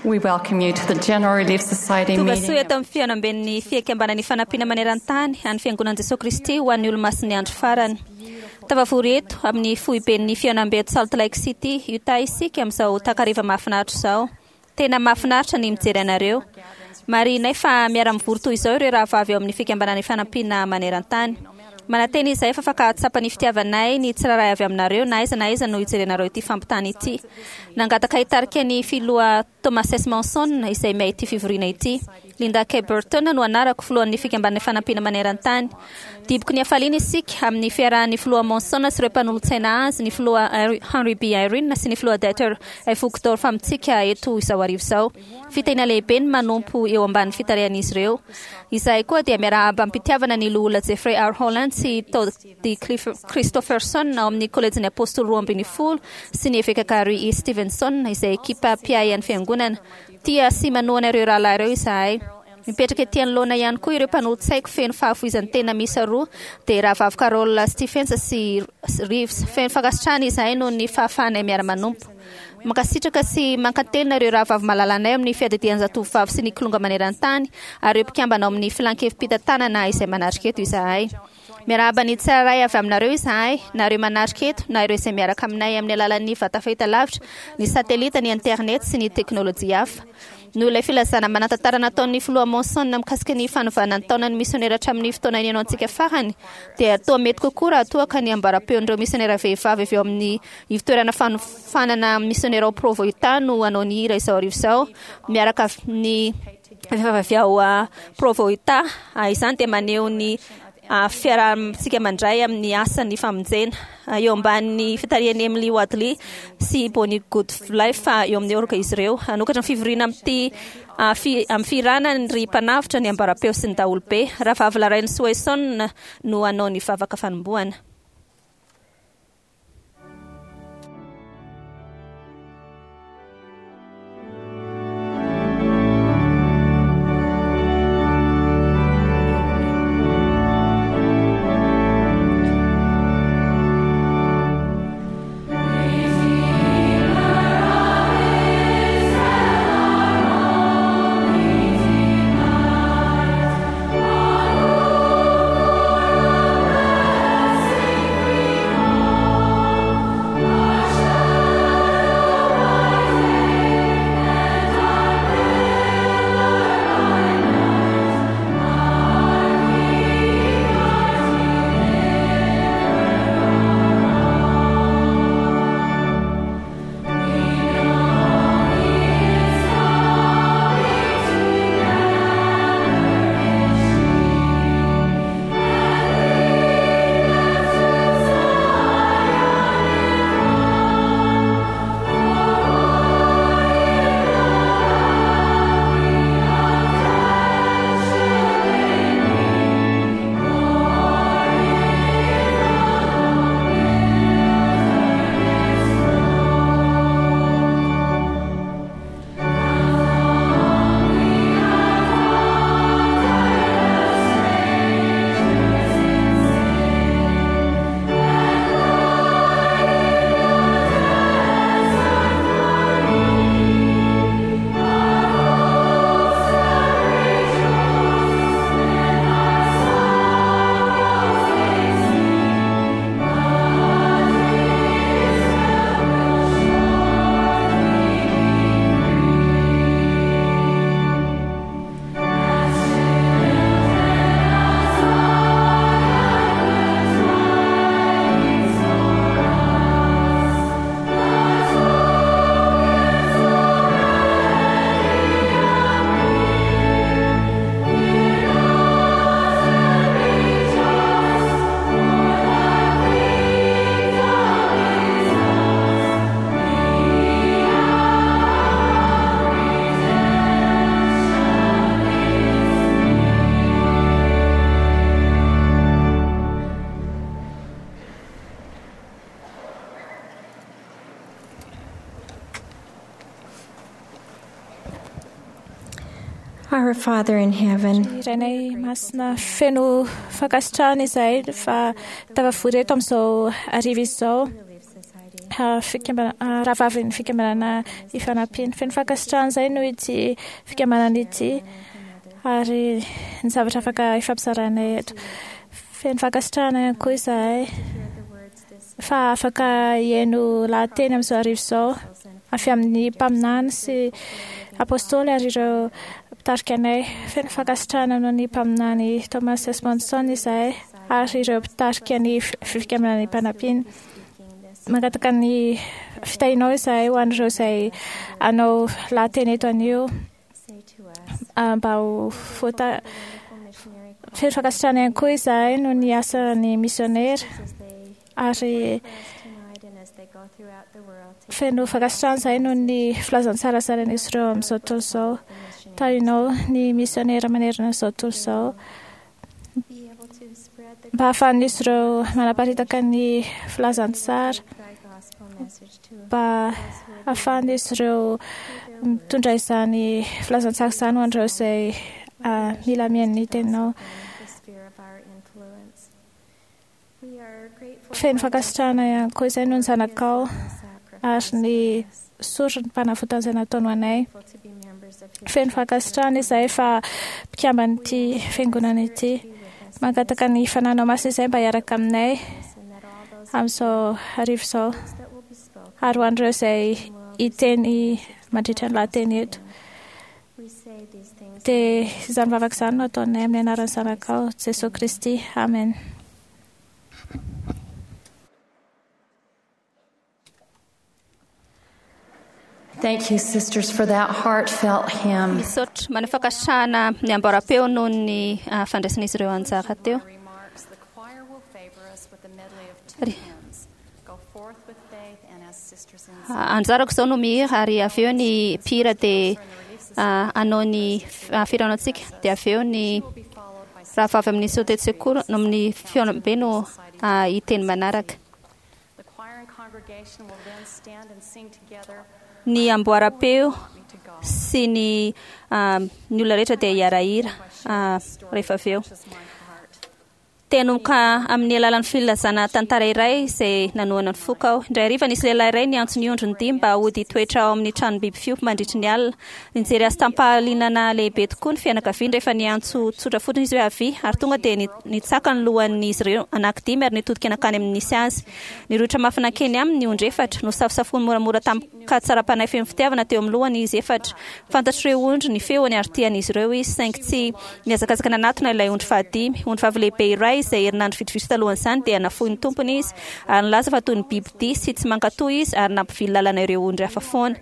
We welcome you to the General Relief Society Tonga meeting. soa eto amin'ny fihaonamben'ny fikambanan'ny fanampiana maneran-tany an'ny fiangonan'i Jesoa Kristy ho an'ny olomasin'ny andro farany. Tafavory eto amin'ny foiben'ny fihaonambe eto Salt Lake City, Utah isika amin'izao takariva mahafinaritra izao. Tena mahafinaritra ny mijery anareo. Marihinay fa miara-mivory toy izao ireo rahavavy ao amin'ny fikambanan'ny fanampiana maneran-tany. Manantena izahay fa afaka hahatsapa ny fitiavanay ny tsirairay avy aminareo na aiza na aiza no hijerenareo ity fampitana ity. Nangataka hitarika ny filoha Thomas S. Monson izay miahy ity fivoriana ity. Linda K. Burton no anarako filohan'ny fikambanan'ny fanampiana maneran-tany. Diboky ny hafaliana isika amin'ny fiarahan'ny filoha Monson sy ireo mpanolotsaina azy, ny filoha Henry B. Eyring sy ny filoha Dieter F. Uchtdorf amintsika eto izao hariva izao. Fitahiana lehibe ny manompo eo ambanin'ny fitarihan'izy ireo. Izahay koa dia miarahaba am-pitiavana ny loholona Jeffrey R. Holland sy Todd D. Christofferson ao amin'ny Kolejin'ny Apôstôly 12 sy ny eveka Gary E. Stevenson izay ekipa mpiahy an'ny fiangonana. Tia sy manohana ireo rahalahy ireo izahay. Mipetraka ety anoloana ihany koa ireo mpanolotsaiko feno fahafoizan-tena miisa roa, dia rahavavy Carol Stephens sy Reeves. Feno fankasitrahana izahay noho ny fahafahanay miara-manompo. Mankasitraka sy mankatelina ireo rahavavy malalanay amin'ny fiadidian-jatovovavy sy ny kilonga maneran-tany ary ireo mpikambana ao amin'ny filan-kevi-pitantanana izay manatrika eto izahay. Miarahaba ny tsirairay avy aminareo izahay, na ireo manatrika eto, na ireo izay miaraka aminay amin'ny alalan'ny vata fahitalavitra, ny satelita, ny internet sy ny teknolojia hafa. Noho ilay filazana manan-tantara nataon'ny filoha Monson mikasika ny fanovana ny taonan'ny misionera hatramin'ny fotoana nihainoantsika farany, dia toa mety kokoa raha toa ka ny ambaram-peon'ireo misionera vehivavy avy ao amin'ny ivontoerana fanofanana misionera ao Provo, Utah no hanao ny hira izao hariva izao, miaraka amin'ny vehivavy avy ao Provo, Utah. Izany dia maneho ny fiarahantsika mandray amin'ny asan'ny famonjena eo ambanin'ny fitarihan'i Emily Wadley sy Bonnie Goodlife eo amin'ny orga izy ireo. Hanokatra ny fivoriana amin'ity amin'ny fihirana ny ry mpanavotra ny ambaram-peo sy ny daholobe. Rahavavy Laraine Swaison no hanao ny vavaka fanombohana. Our Father in heaven, Rainay masina feno fankasitrahana izahay fa tafavory eto amin'izao hariva izao. Rahavavin'ny Fikambanana Ifanampiana. Feno fankasitrahana izay noho ity fikambanana ity ary ny zavatra afaka ifampizarainay eto. Feno fankasitrahana ihany koa izahay fa afaka hihaino lahateny amin'izao hariva izao avy amin'ny mpaminany sy apostoly ary ireo mpitarika anay. Feno fankasitrahana noho ny mpaminany Thomas S. Monson izahay ary ireo mpitarika ny Fikambanana Ifanampiana. Mangataka ny fitahianao izahay ho an'ireo izay hanao lahateny eto anio mba ho voata feno fankasitrahana ihany koa izahay noho ny asan'ny misionera ary feno fankasitrahana izahay noho ny filazantsara zarain'izy ireo amin'izao tontolo izao. Tahinao ny misionera manerana izao tontolo izao. Mba hahafahan'izy ireo manaparitaka ny filazantsara, mba hahafahan'izy ireo mitondra izany filazantsara izany ho an'ireo izay mila mihaino ny teninao. Feno fankasitrahana ihany koa izay noho ny zanakao ary ny sorony mpanavotana izay nataony ho anay. Feno fankasitrahana izahay fa mpikamban'ity fiangonana ity. Mangataka ny fananao masina izahay mba hiaraka aminay amin'izao hariva izao ary ho an'ireo izay hiteny mandritra ny lahateny eto. Dia izany vavaka izany no ataonay amin'ny anaran'ny Zanakao, Jesoa Kristy. Amen. Thank you, sisters, for that heartfelt hymn. Misaotra maneho fankasitrahana ny amboaram-peo noho ny fandraisan'izy ireo anjara teo. Anjarako izao no mihira ary avy eo ny mpihira dia hanao ny fihaonana antsika dia avy eo ny rahavavy amin'ny sotetsekoro amin'ny fihaonambe no hiteny manaraka. Ny amboaram-peo sy ny ny olona rehetra dia hiara-hira rehefa avy eo. Te-hanomboka amin'ny alalan'ny filazana tantara iray izay nanohana ny foko aho. Indray hariva nisy lehilahy iray niantso ny ondriny dimy mba hody hitoetra ao amin'ny tranom-biby fiompy mandritry ny alina. Nijery azy tamim-pahalianana lehibe tokoa ny fianakaviany rehefa niantso tsotra fotsiny izy hoe avia, ary tonga dia nitsaka ny lohan'izy ireo anankidimy ary nitodika nankany amin'ny nisy azy. Nirohotra mafy nankeny aminy ny ondry efatra. Nosafosafoiny moramora tamin-katsaram-panahy feno fitiavana teo amin'ny lohany izy efatra. Fantatr'ireo ondry ny feony ary tian'izy ireo izy, saingy tsy nihazakazaka nanatona ilay ondry fahadimy. Ondrivavy lehibe iray, izay herinandro vitsivitsy talohan'izany, dia nafoy ny tompony izy, ary nilaza fa toy ny bibidia sy tsy mankatò izy ary nampivily lalana ireo ondry hafa foana.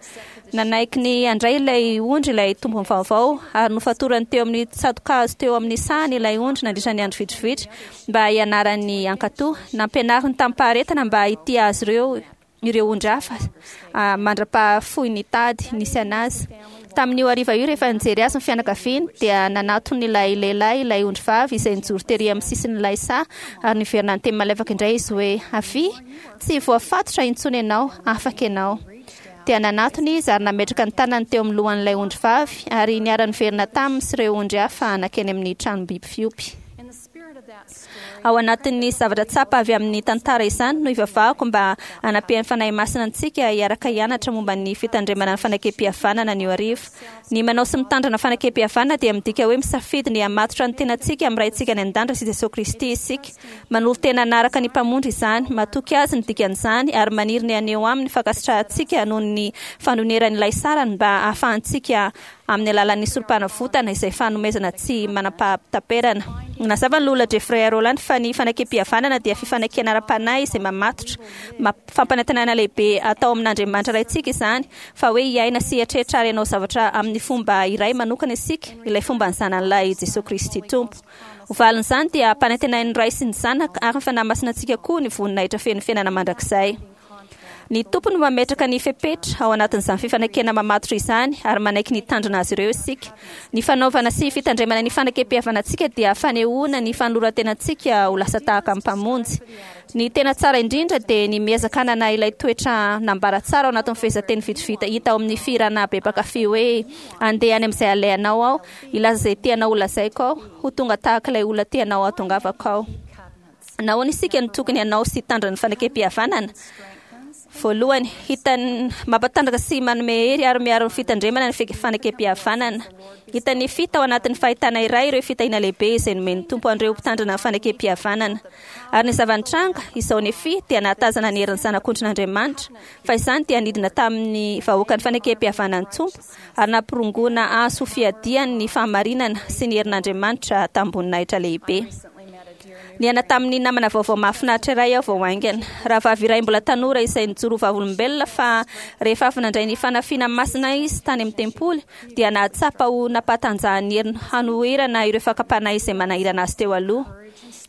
Nanaiky ny handray ilay ondry ilay tompony vaovao, ary nofatorany teo amin'ny tsato-kazo teo amin'ny sahany ilay ondry nandritra ny andro vitsivitsy mba hianarany hankatò. Nampianariny tamim-paharetana mba hitia azy ireo ireo ondry hafa mandra-pahafoy ny tady nisy an'azy. Tamin'io hariva io, rehefa nijery azy ny fianakaviany, dia nanatona ilay lehilahy ilay ondrivavy izay nijoro tery amin'ny sisin'ilay saha ary niverina niteny malefaka indray izy hoe, Avia! Tsy voafatotra intsony ianao, afaka ianao. Dia nanatona izy ary nametraka ny tanany teo amin'ny lohan'ilay ondrivavy ary niara-niverina taminy sy ireo ondry hafa nankeny amin'ny tranom-biby fiompy. Ao anatin'ny zavatra tsapa avy amin'ny tantara izany no ivavahako mba hanampian'ny Fanahy Masina antsika hiaraka hianatra momba ny fitandremana ny fanekempihavanana anio hariva. Ny manao sy mitandrina fanekempihavanana dia midika hoe misafidy ny hamatotra ny tenantsika amin'ny Raintsika any An-danitra sy Jesoa Kristy isika. Manolo-tena hanaraka ny Mpamonjy izany, matoky Azy ny dikan'izany, ary maniry ny haneho Aminy ny fankasitrahantsika noho ny fanonerany ilay sarany mba hahafahantsika amin'ny alalan'ny sorompanavotana izay fanomezana tsy manam-pahataperana. Nazava ny Loholona Jeffrey A. Rowland fa ny fanekempihavanana dia fifanekena ara-panahy izay mamatotra, fampanantenana lehibe atao amin'Andriamanitra Raintsika izany, fa hoe hiaina sy hieritreritra ary hanao zavatra amin'ny fomba iray manokana isika, ilay fomban'ny Zanany Lahy Jesoa Kristy Tompo. Ho valin'izany dia ampanantenain'ny Ray sy ny Zanaka ary ny Fanahy Masina antsika koa ny voninahitra feno fiainana mandrakizay. Ny Tompo no mametraka ny fepetra ao anatin'izany fifanekena mamatotra izany ary manaiky ny hitandrina azy ireo isika. Ny fanaovana sy fitandremana ny fanekem-pihavanantsika dia fanehoana ny fanoloran-tenantsika ho lasa tahaka ny Mpamonjy. Ny tena tsara indrindra dia ny miezaka hanana ilay toetra nambara tsara ao anatin'ny fehezanteny vitsivita hita ao amin'ny fihirana be mpankafy hoe, Andeha any amin'izay alehanao aho, hilaza izay tianao holazaiko aho, ho tonga tahaka ilay olona tianao hahatongavako aho. Nahoana isika no tokony hanao sy hitandrina ny fanekempihavanana? Voalohany, hitany mampatanjaka sy manome hery ary miaro ny fitandremana ny fanekempihavanana. Hitan'i Nefia tao anatin'ny fahitana iray ireo fitahiana lehibe izay nomen'ny Tompo an'ireo mpitandrina ny fanekempihavanana. Ary ny zava-nitranga, izao Nefia dia nahatazana ny herin'ny Zanak'ondrin'Andriamanitra, fa izany dia nidina tamin'ny vahoakan'ny fanekempihavanan'ny Tompo, ary nampirongoana azy ho fiadiany ny fahamarinana sy ny herin'Andriamanitra tamim-boninahitra lehibe. Niaina tamin'ny namana vaovao mahafinaritra iray aho vao haingana. Rahavavy iray mbola tanora izay nijoro ho vavolombelona fa rehefa avy nandray ny fanafiana masina izy tany amin'ny tempoly dia nahatsapa ho nampahatanjahan'ny heriny hanoherana ireo fakam-panahy izay manahirana azy teo aloha.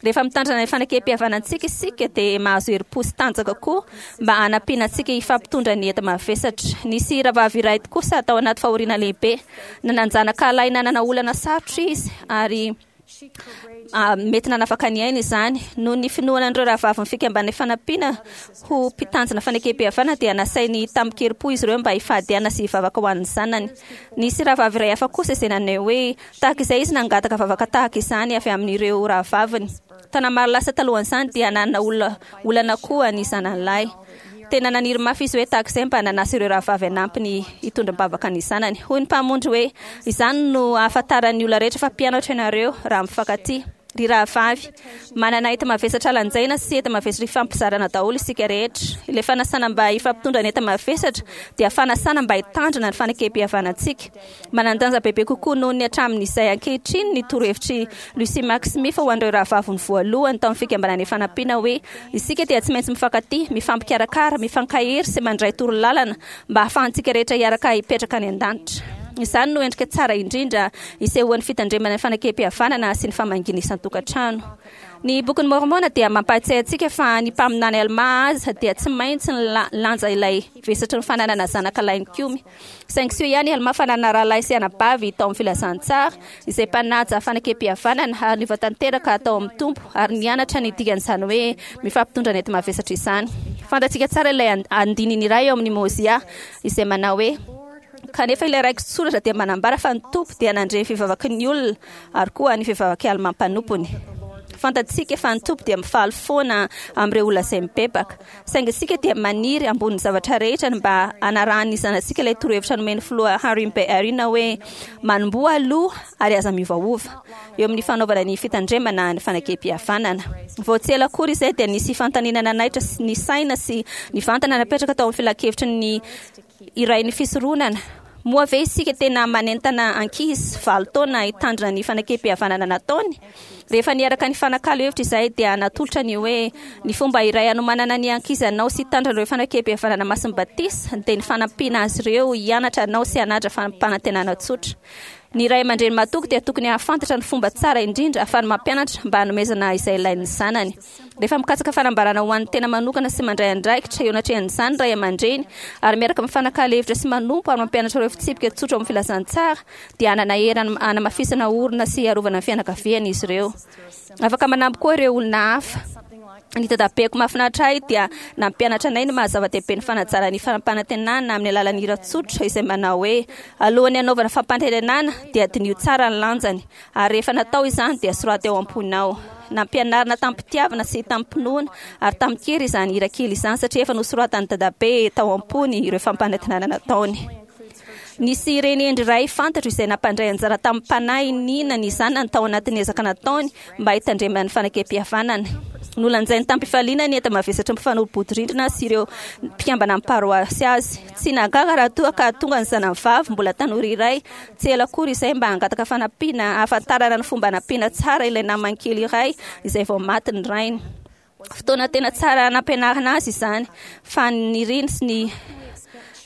Rehefa mitandrina ny fanekempihavanantsika isika dia mahazo herim-po sy tanjaka koa mba hanampiana antsika hifampitondra ny enta-mavesatra. Nisy rahavavy iray kosa tao anaty fahoriana lehibe. Nanan-janaka lahy nanana olana sarotra izy ary mety nanafaka ny ainy izany. Noho ny finoana an'ireo rahavavin'ny fikambanan'ny fanampiana ho mpitanjona fanekempihavanana dia nasainy tamin-kerim-po izy ireo mba hifady hanina sy hivavaka ho an'ny zanany. Nisy rahavavy iray hafa kosa izay naneho hoe tahaka izay izy nangataka vavaka tahaka izany avy amin'ireo rahavaviny. Taona maro lasa talohan'izany dia nanana olona olana koa ny zanany lahy. Tena naniry mafy izy hoe tahaka izay mba nanasa ireo rahavavy hanampy ny hitondra am-bavaka ny zanany. Hoy ny Mpamonjy hoe, Izany no ahafantaran'ny olona rehetra fa mpianatra ianareo, raha mifankatia. Ry rahavavy, manana enta-mavesatra lanjaina sy enta-mavesatra ifampizarana daholo isika rehetra. Ilay fanasana mba hifampitondra ny enta-mavesatra dia fanasana mba hitandrina ny fanekempihavanantsika. Manan-danja bebe kokoa noho ny hatramin'izay ankehitriny ny torohevitr'i Lucy Mack Smith ho an'ireo rahavaviny voalohany tao amin'ny Fikambanana Ifanampiana hoe, Isika dia tsy maintsy mifankatia, mifampikarakara, mifankahery sy mandray torolalana mba hahafahantsika rehetra hiaraka hipetraka any an-danitra. Izany no endrika tsara indrindra isehoan'ny fitandremana ny fanekempihavanana sy ny famangiana isan-tokantrano. Ny Bokin'i Môrmôna dia mampahatsiahy antsika fa ny mpaminany Almà aza dia tsy maintsy nilanja ilay vesatry ny fananana zanaka lahy nikomy. Saingy soa ihany i Almà fa nanana rahalahy sy anabavy tao amin'ny filazantsara, izay mpanaja fanekempihavanana ary niova tanteraka tao amin'ny Tompo ary nianatra ny dikan'izany hoe mifampitondra ny enti-mavesatra izany. Fantatsika tsara ilay andininy iray ao amin'ny Môzià izay manao hoe, Kanefa ilay raiki-tsoratra dia manambara fa ny Tompo dia nandre ny fivavaky ny olona ary koa ny fivavak'i Almà mpanompony. Fantatsika fa ny Tompo dia mifaly foana amin'ireo olona izay mibebaka. Saingy isika dia maniry ambonin'ny zavatra rehetra ny mba hanarahan'ny zanatsika ilay torohevitra nomen'ny filoha Harry B. Eyring hoe, Manomboha aloha ary aza miovaova eo amin'ny fanaovana ny fitandremana ny fanekempihavanana. Vao tsy ela akory izay dia nisy fanontaniana nanaitra ny saina sy nivantana napetraka tao amin'ny filankevitry ny iray ny fisoronana. Moa ve isika tena manentana ankizy 8 taona hitandrina ny fanekempihavanana nataony? Rehefa niaraka nifanakalo hevitra izahay dia natolotra ny hoe ny fomba iray hanomanana ny ankizy hanao sy hitandrina ireo fanekempihavanana masin'ny batisa dia ny fanampiana azy ireo hianatra hanao sy hanaja fampanantenana tsotra. Ny ray aman-dreny mahatoky dia tokony hahafantatra ny fomba tsara indrindra ahafahany mampianatra mba hanomezana izay ilain'ny zanany. Rehefa mikatsaka fanambarana ho an'ny tena manokana sy mandray andraikitra eo anatrehan'izany ny ray aman-dreny ary miaraka mifanakalo hevitra sy manompo ary mampianatra ireo fitsipika tsotra ao amin'ny filazantsara dia hanana hery hanamafisana orina sy hiarovana ny fianakaviany izy ireo. Afaka manampy koa ireo olona hafa. Ny dadabeko mahafinaritra ahy dia nampianatra anay ny maha zava-dehibe ny fanajana ny fampanantenana amin'ny alalan'ny hira tsotra izay manao hoe, Alohan'ny hanaovana fampanantenana dia diniho tsara ny lanjany, ary rehefa natao izany dia soraty ao am-ponao. Nampianarina tamim-pitiavana sy tamim-pinoana ary tamin-kery izany hira kely izany satria efa nosoratan'i dadabe tao am-pony ireo fampanantenana nataony. Nisy reny hendry iray fantatro izay nampandray anjara tamim-panahy nina ny zanany tao anatin'ny ezaka nataony mba hitandremana ny fanekempihavanany. Nolanjainy tamim-pifaliana ny enta-mavesatry ny mpifanolo-bodirindrina sy ireo mpikambana amin'ny paroasy azy. Tsy nahagaga raha toa ka tonga ny zanany vavy mbola tanora iray tsy ela akory izay mba hangataka fanampiana hahafantarana ny fomba hanampiana tsara ilay namany kely iray izay vao maty ny rainy. Fotoana tena tsara nampianarina azy izany, fa niriny sy ny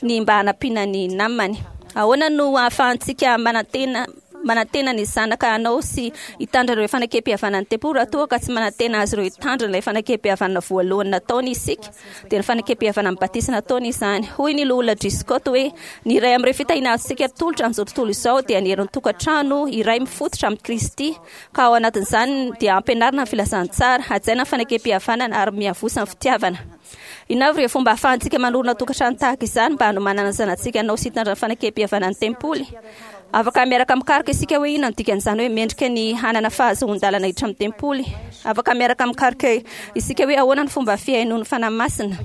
ny mba hanampiana ny namany. Ahoana no ahafahantsika manantena manantena ny zanaka hanao sy hitandrina ireo fanekempihavanan'ny tempoly raha toa ka tsy manantena azy ireo hitandrina ilay fanekempihavanana voalohany nataony isika? Dia ny fanekempihavanan'ny batisa nataony izany. Hoy ny Loholona Driscott hoe, Ny iray amin'ireo fitahiana azontsika atolotra amin'izao tontolo izao dia ny herin'ny tokantrano iray mifototra amin'i Kristy, ka ao anatin'izany dia ampianarina ny filazantsara, hajaina ny fanekempihavanana ary miavosa ny fitiavana. Inona avy ireo fomba ahafahantsika manorina tokantrano tahaka izany mba hanomanana ny zanatsika hanao sy hitandra ny fanekempihavanan'ny tempoly? Afaka miaraka mikaroka isika hoe inona no dikan'izany hoe mendrika ny hanana fahazoan-dalana hiditra amin'ny tempoly. Afaka miaraka mikaroka isika hoe ahoana ny fomba fihainoan'ny Fanahy Masina.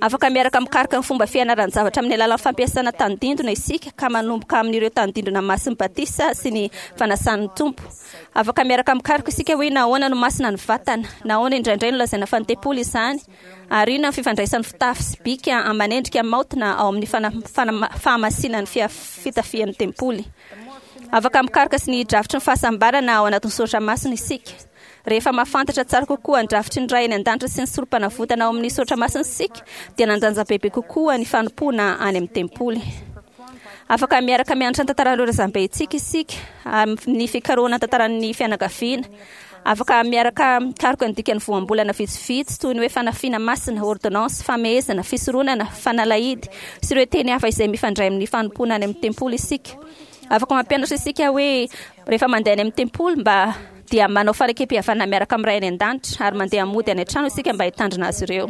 Afaka miaraka mikaroka ny fomba fianaran-javatra amin'ny alalan'ny fampiasana tandindona isika ka manomboka amin'ireo tandindona masin'ny batisa sy ny fanasan'ny Tompo. Afaka miaraka mikaroka isika hoe nahoana no masina ny vatana, nahoana indraindray no lazaina fa ny tempoly izany, ary inona ny fifandraisan'ny fitafy sy bika aman'endrika maotina ao amin'ny fahamasinan'ny fitafian'ny tempoly. Afaka mikaroka sy ny drafitry ny fahasambarana ao anatin'ny soratra masina isika. Rehefa mahafantatra tsara kokoa ny drafitry ny Ray any An-danitra sy ny Sorompanavotana ao amin'ny soratra masina isika, dia nandanja bebe kokoa ny fanompoana any amin'ny tempoly. Afaka miaraka mianatra ny tantaran'ireo razambentsika isika amin'ny fikarohana ny tantaran'ny fianakaviana. Afaka miaraka mikaroka ny dikan'ny voambolana vitsivitsy toy ny hoe fanafiana masina, ôrdônansy, famehezana, fisoronana, fanalahidy, sy ireo teny hafa izay mifandray amin'ny fanompoana any amin'ny tempoly isika. Afaka mampianatra isika hoe rehefa mandeha any amin'ny tempoly mba dia manao fanekem-pihavanana miaraka amin'ny Ray any An-danitra ary mandeha mody any an-trano isika mba hitandrina azy ireo.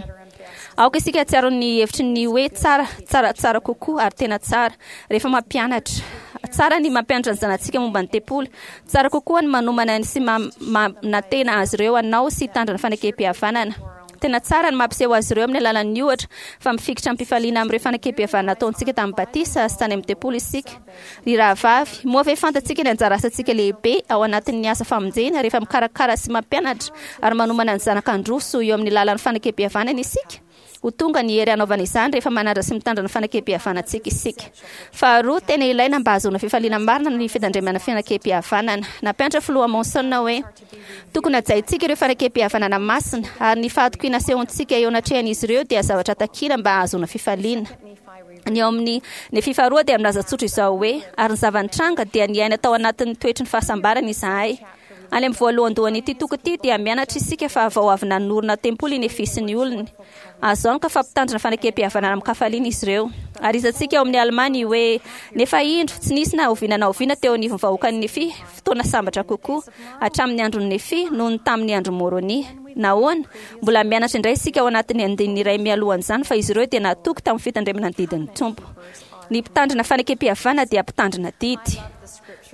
Aoka isika hahatsiaro ny hevitry ny hoe tsara, tsaratsara kokoa ary tena tsara, rehefa mampianatra. Tsara ny mampianatra ny zanatsika momba ny tempoly. Tsara kokoa ny manomana sy manantena azy ireo hanao sy hitandrina fanekem-pihavanana. Tena tsara ny mampiseho azy ireo amin'ny alalan'ny ohatra fa mifikitra amim-pifaliana amin'ireo fanekem-pihavanana nataontsika tamin'ny batisa sy tany amin'ny tempoly isika. Ry rahavavy, moa ve fantatsika ny anjara asantsika lehibe ao anatin'ny asa famonjena rehefa mikarakara sy mampianatra ary manomana ny zanaka handroso eo amin'ny lalan'ny fanekem-pihavanana isika? Ho tonga ny hery hanaovana izany rehefa manaja sy mitandrina ny fanekem-pihavanantsika isika. Faharoa, tena ilaina mba hahazoana fifaliana marina ny fitandremana fanekem-pihavanana. Nampianatra Filoha Monson hoe, Tokony hajaintsika ireo fanekem-pihavanana masina, ary ny fahatokiana asehontsika eo anatrehan'izy ireo dia zavatra takina mba hahazoana fifaliana. Ny ao amin'ny Nefia faharoa dia milaza tsotra izao hoe, Ary ny zava-nitranga dia niaina tao anatin'ny toetry ny fahasambarana izahay. Any amin'ny voalohandohan'ity toko ity dia mianatra isika fa vao avy nanorina tempoly i Nefia sy ny olony. Azo antoka fa mpitandrina fanekem-pihavanana amin-kafaliana izy ireo. Ary hitantsika ao amin'ny Almà ny hoe, Nefa indro, tsy nisy na oviana na oviana teo anivon'ny vahoakan'i Nefia fotoana sambatra kokoa, hatramin'ny andron'i Nefia, noho ny tamin'ny andron'i Môrônia. Nahoana? Mbola mianatra indray isika ao anatin'ny andininy iray mialohan'izany fa izy ireo dia natoky tamin'ny fitandremana ny didin'ny Tompo. Ny mpitandrina fanekem-pihavanana dia mpitandrina didy.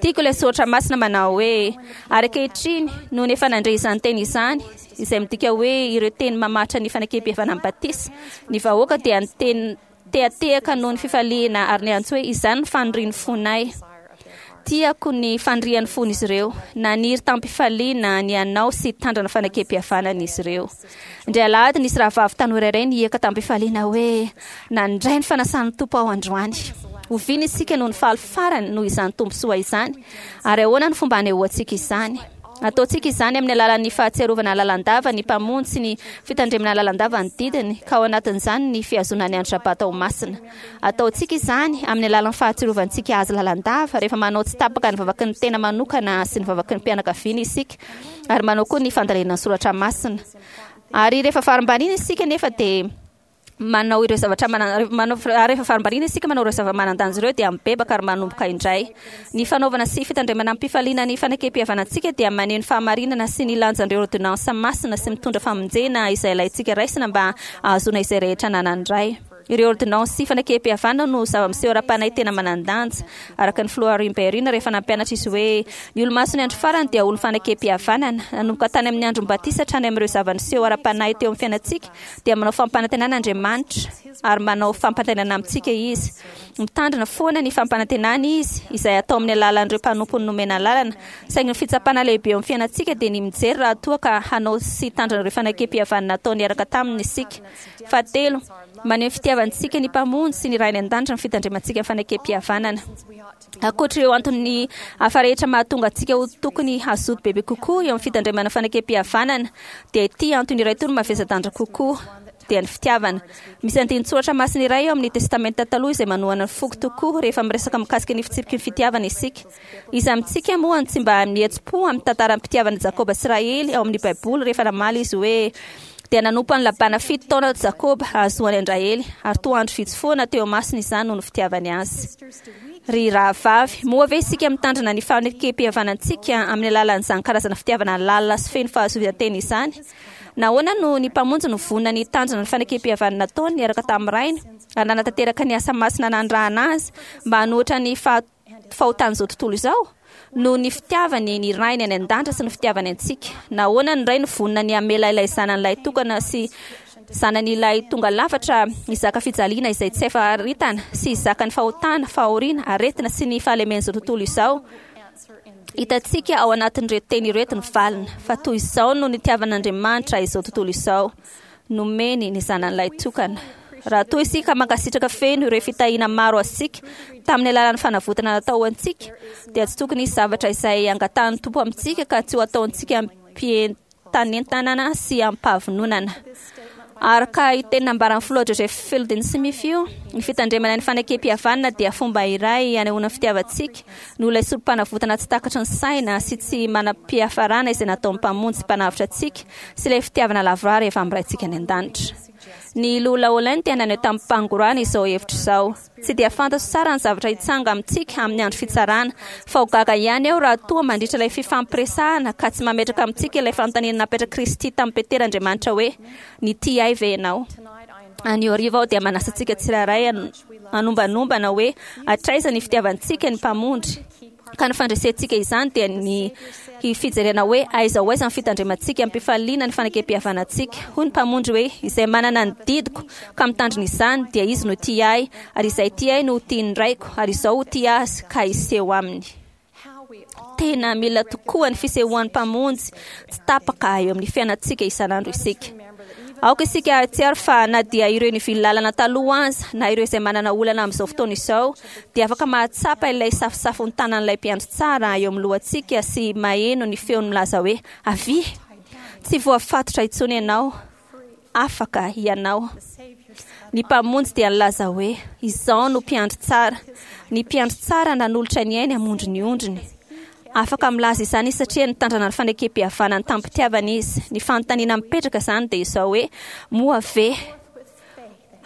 Tiako ilay soratra masina manao hoe, Ary ankehitriny, nony efa nandre izany teny izany, izay midika hoe ireo teny mamaritra ny fanekem-pihavanana amin'ny batisa, ny vahoaka dia niteny tehatehaka noho ny fifaliana ary niantso hoe, Izany no fanirian'ny fonay. Tiako ny fanirian'ny fon'izy ireo. Naniry tamim-pifaliana ny hanao sy hitandrina fanekem-pihavanana izy ireo. Indray alahady nisy rahavavy tanora iray nihiaka tamim-pifaliana hoe, Nandray ny fanasan'ny Tompo aho androany. Oviana isika no nifaly farany noho izany tombontsoa izany, ary ahoana no fomba hanehoantsika izany? Ataontsika izany amin'ny alalan'ny fahatsiarovana lalandava ny Mpamonjy sy ny fitandremana lalandava ny didiny, ka ao anatin'izany ny fihazonana ny andro Sabata ho masina. Ataontsika izany amin'ny alalan'ny fahatsiarovantsika Azy lalandava rehefa manao tsy tapaka ny vavaky ny tena manokana sy ny vavaky ny mpianakaviana isika, ary manao koa ny fandalinana ny soratra masina. Ary rehefa varimbariana isika nefa dia. manao ireo zavatra manao ary rehefa varimbariana isika manao ireo zava-manan-danja ireo dia mibebaka ary manomboka indray. Ny fanaovana sy fitandremana amim-pifaliana ny fanekem-pihavanantsika dia maneho ny fahamarinana sy ny lanjan'ireo ôrdônansa masina sy mitondra famonjena izay ilaintsika raisina mba hahazoana izay rehetra ananan'ny Ray. Ireo ôrdônansy sy fanekem-pihavanana no zava-miseho ara-panahy tena manan-danja. Araka ny Filoha Rimberina rehefa nampianatra izy hoe, Ny Olomasin'ny Andro Farany dia olon'ny fanekem-pihavanana. Nanomboka tany amin'ny andron'ny batisa hatrany amin'ireo zava-niseho ara-panahy teo amin'ny fiainantsika, dia manao fampanantenana Andriamanitra, ary manao fampanantenana amintsika Izy. Mitandrina foana ny fampanantenany Izy, izay atao amin'ny alalan'ireo mpanompony nomena alalana. Saingy ny fitsapana lehibe eo amin'ny fiainantsika dia ny mijery raha toa ka hanao sy hitandrina ireo fanekempihavanana natao niaraka taminy isika. Fahatelo, maneho ny fitiavantsika ny Mpamonjy sy ny Ray any An-danitra ny fitandremantsika ny fanekempihavanana. Ankoatra ireo antony hafa rehetra mahatonga antsika ho tokony hazoto bebe kokoa eo amin'ny fitandremana fanekem-pihavanana, dia ity antony iray ity no mavesa-danja kokoa, dia ny fitiavana. Misy andinin-tsoratra masina iray ao amin'ny Testamenta Taloha izay manohana ny foko tokoa rehefa miresaka mikasika ny fitsipiky ny fitiavana isika. Iza amintsika moa no tsy mba mihetsi-po amin'ny tantaram-pitiavan'i Jakoba sy Rahely ao amin'ny Baiboly rehefa namaly izy hoe, Dia nanompo an'i Labana fito taona Jakoba hahazoany an-dRahely, ary toa andro vitsy foana teo imasony izany noho ny fitiavany azy. Ry rahavavy, moa ve isika mitandrina ny fanekem-pihavanantsika amin'ny alalan'izany karazana fitiavana lalina sy feno fahazoan-tena izany? Nahoana no ny Mpamonjy no vonona ny hitandrina ny fanekem-pihavanana nataony niaraka tamin'ny Rainy ary nanatanteraka ny asa masina nanirahana azy mba hanohitra ny fahotan'izao tontolo izao? Noho ny fitiavany ny Rainy any an-danitra sy ny fitiavany antsika. Nahoana ny Ray no vonona ny hamela ilay Zanany lahitokana sy. Zanany ilay tonga lafatra hizaka fijaliana izay tsy hafaritana sy hizaka ny fahotana, fahoriana, aretina sy ny fahalemen'izao tontolo izao. Hitantsika ao anatin'ireto teny ireto ny valiny, fa toy izao no nitiavan'Andriamanitra izao tontolo izao, nomeny ny Zanany tokana. Raha toa isika mankasitraka feno ireo fitahiana maro azontsika tamin'ny alalan'ny fanavotana natao ho antsika, dia tsy tokony hisy zavatra izay angatahan'ny Tompo amintsika ka tsy ho ataontsika ampientanentanana sy ampavononana. Araka io teny nambaran'ny filoha Joseph Fielding Smith io, ny fitandremana ny fanekem-pihavanana dia fomba iray hanehoana ny fitiavantsika noho ilay sorom-panavotana tsy takatry ny saina sy tsy manam-piafarana izay nataon'ny Mpamonjy Mpanavotra antsika sy ilay fitiavana lavorary efa amin'ny Raintsika any an-danitra. Ny Loholona Holland dia naneho tamim-pangorahana izao hevitra izao, Tsy dia fantatro tsara ny zavatra hitsanga amintsika amin'ny andro fitsarana, fa ho gaga ihany aho raha toa mandritra ilay fifampiresahana ka tsy mametraka amintsika ilay fanontaniana napetrak'i Kristy tamin'i Petera Andriamanitra hoe, Nitia ahy ve ianao? Anio hariva aho dia manasa antsika tsirairay hanombanombana hoe hatraiza ny fitiavantsika ny Mpamonjy. Ka ny fandresentsika izany dia ny fijerena hoe aiza ho aiza ny fitandremantsika amim-pifaliana ny fanekem-pihavanantsika. Hoy ny Mpamonjy hoe, Izay manana ny didiko ka mitandrina izany, dia izy no tia ahy, ary izay tia ahy no ho tian'ny Raiko, ary izaho ho tia azy ka hiseho aminy. Tena mila tokoa ny fisehoan'ny Mpamonjy tsy tapaka eo amin'ny fiainantsika isan'andro isika. Aoka isika hahatsiaro fa na dia ireo nivily lalana taloha aza, na ireo izay manana olana amin'izao fotoana izao, dia afaka mahatsapa ilay safosafon'ny tanan'ilay mpiandry tsara eo amin'ny lohantsika sy maheno ny feony milaza hoe, Avia! Tsy voafatotra intsony ianao. Afaka ianao. Ny Mpamonjy dia nilaza hoe, Izaho no mpiandry tsara. Ny mpiandry tsara nanolotra ny ainy hamonjy ny ondriny. Afaka milaza izany izy satria nitandrana ny fanekem-pihavanany tamim-pitiavana izy. Ny fanontaniana mipetraka izany dia izao hoe, moa ve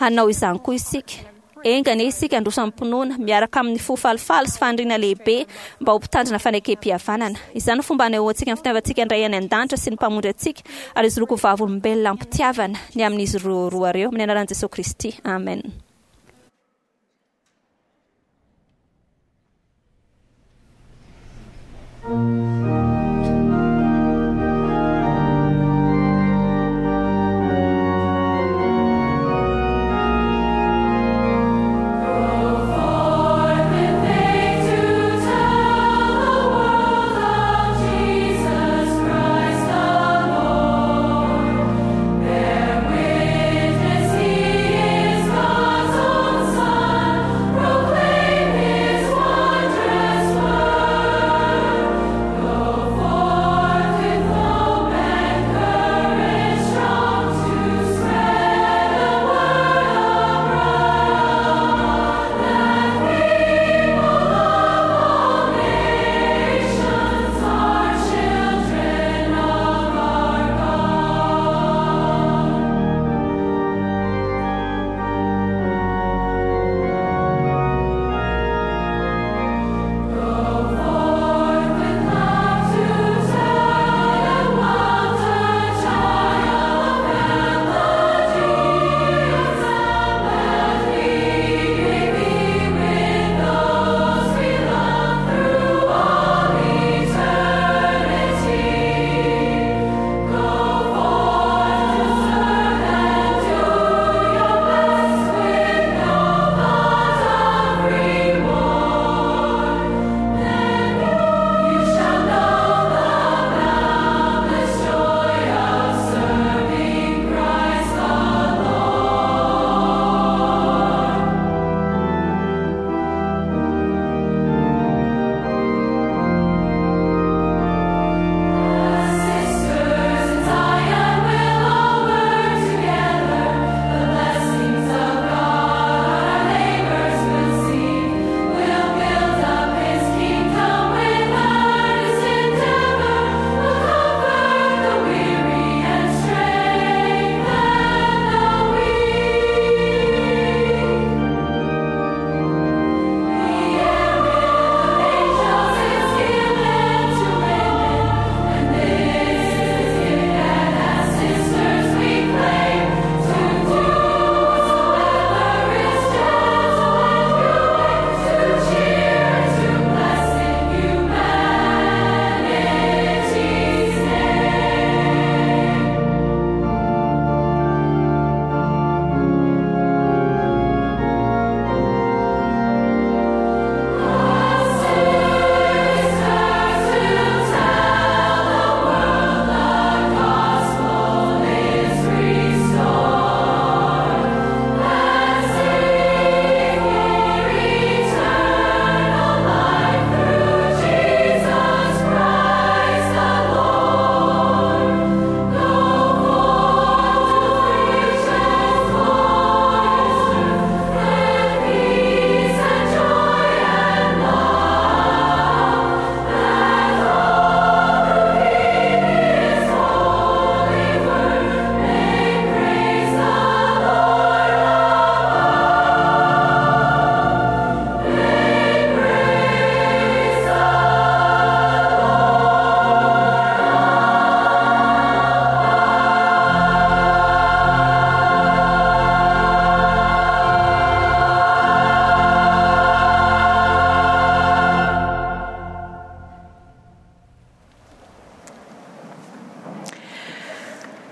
hanao izany koa isika? Enga anie isika handroso amim-pinoana, miaraka amin'ny fo falifaly sy faniriana lehibe mba ho mpitandrina fanekem-pihavanana. Izany no fomba hanehoantsika ny fitiavantsika ny Ray any An-danitra sy ny Mpamonjy antsika, ary izy roa koa vavolombelona am-pitiavana ny amin'izy roa ireo. Amin'ny anaran'i Jesoa Kristy, amen.